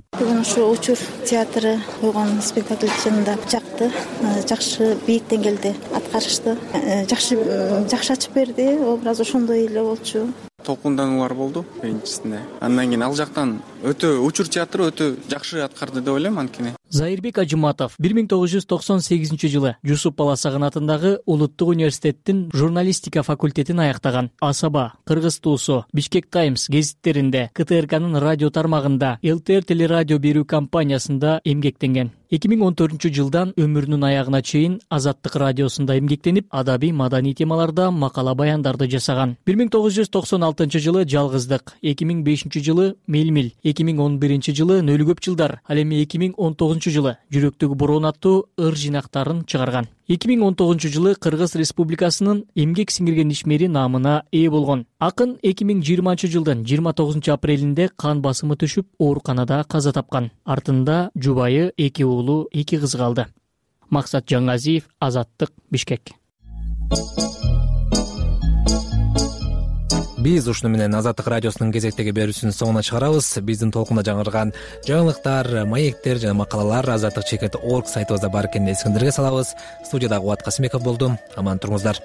Ушу учур театры койгон спектакль чынында жакты, жакшы бийик деңгээлде аткарышты, жакшы ачып берди, образ ошондой эле болчу. Толкундануулар болду биринчисинде. Андан кийин ал жактан өтө учур театры өтө жакшы аткарды деп ойлойм анткени. Зайырбек Ажуматов 1998-жылы Жусуп Баласагын атындагы Улуттук университеттин журналистика факультетин аяктаган. Асаба, Кыргыз туусу, Бишкек Таймс гезиттеринде, КТРКнын радио тармагында, ЛТР телерадио берүү компаниясында эмгектенген. 2014-жылдан өмүрүнүн аягына чейин Азаттык радиосунда эмгектенип, адабий маданий темаларда макала баяндарды жасаган. 1996-жылы Жалгыздык, 2005-жылы Мелмил, 2011-жылы Нөлү көп жылдар, ал эми 2019-жылы Жүрөктөгү бороон аттуу ыр жинактарын чыгарган. 2019-жылы Кыргыз Республикасынын эмгек сиңирген ишмери наамына ээ болгон. Акын 2020-жылдын 29-апрелинде кан басымы түшүп, ооруканада каза тапкан. Артында жубайы, 2 уулу, 2 кызы калды. Максат Жаңазиев, Азаттык, Бишкек. Биз ушуну менен Азаттык радиосунун кезектеги берүүсүнүн соңуна чыгарабыз. Биздин толкунда жаңырган жаңылыктар, маектер жана макалалар Азаттык.org сайтыбызда бар экенин эсиңиздерге салабыз. Студияда Кубат Касымбеков болдум. Аман туруңуздар.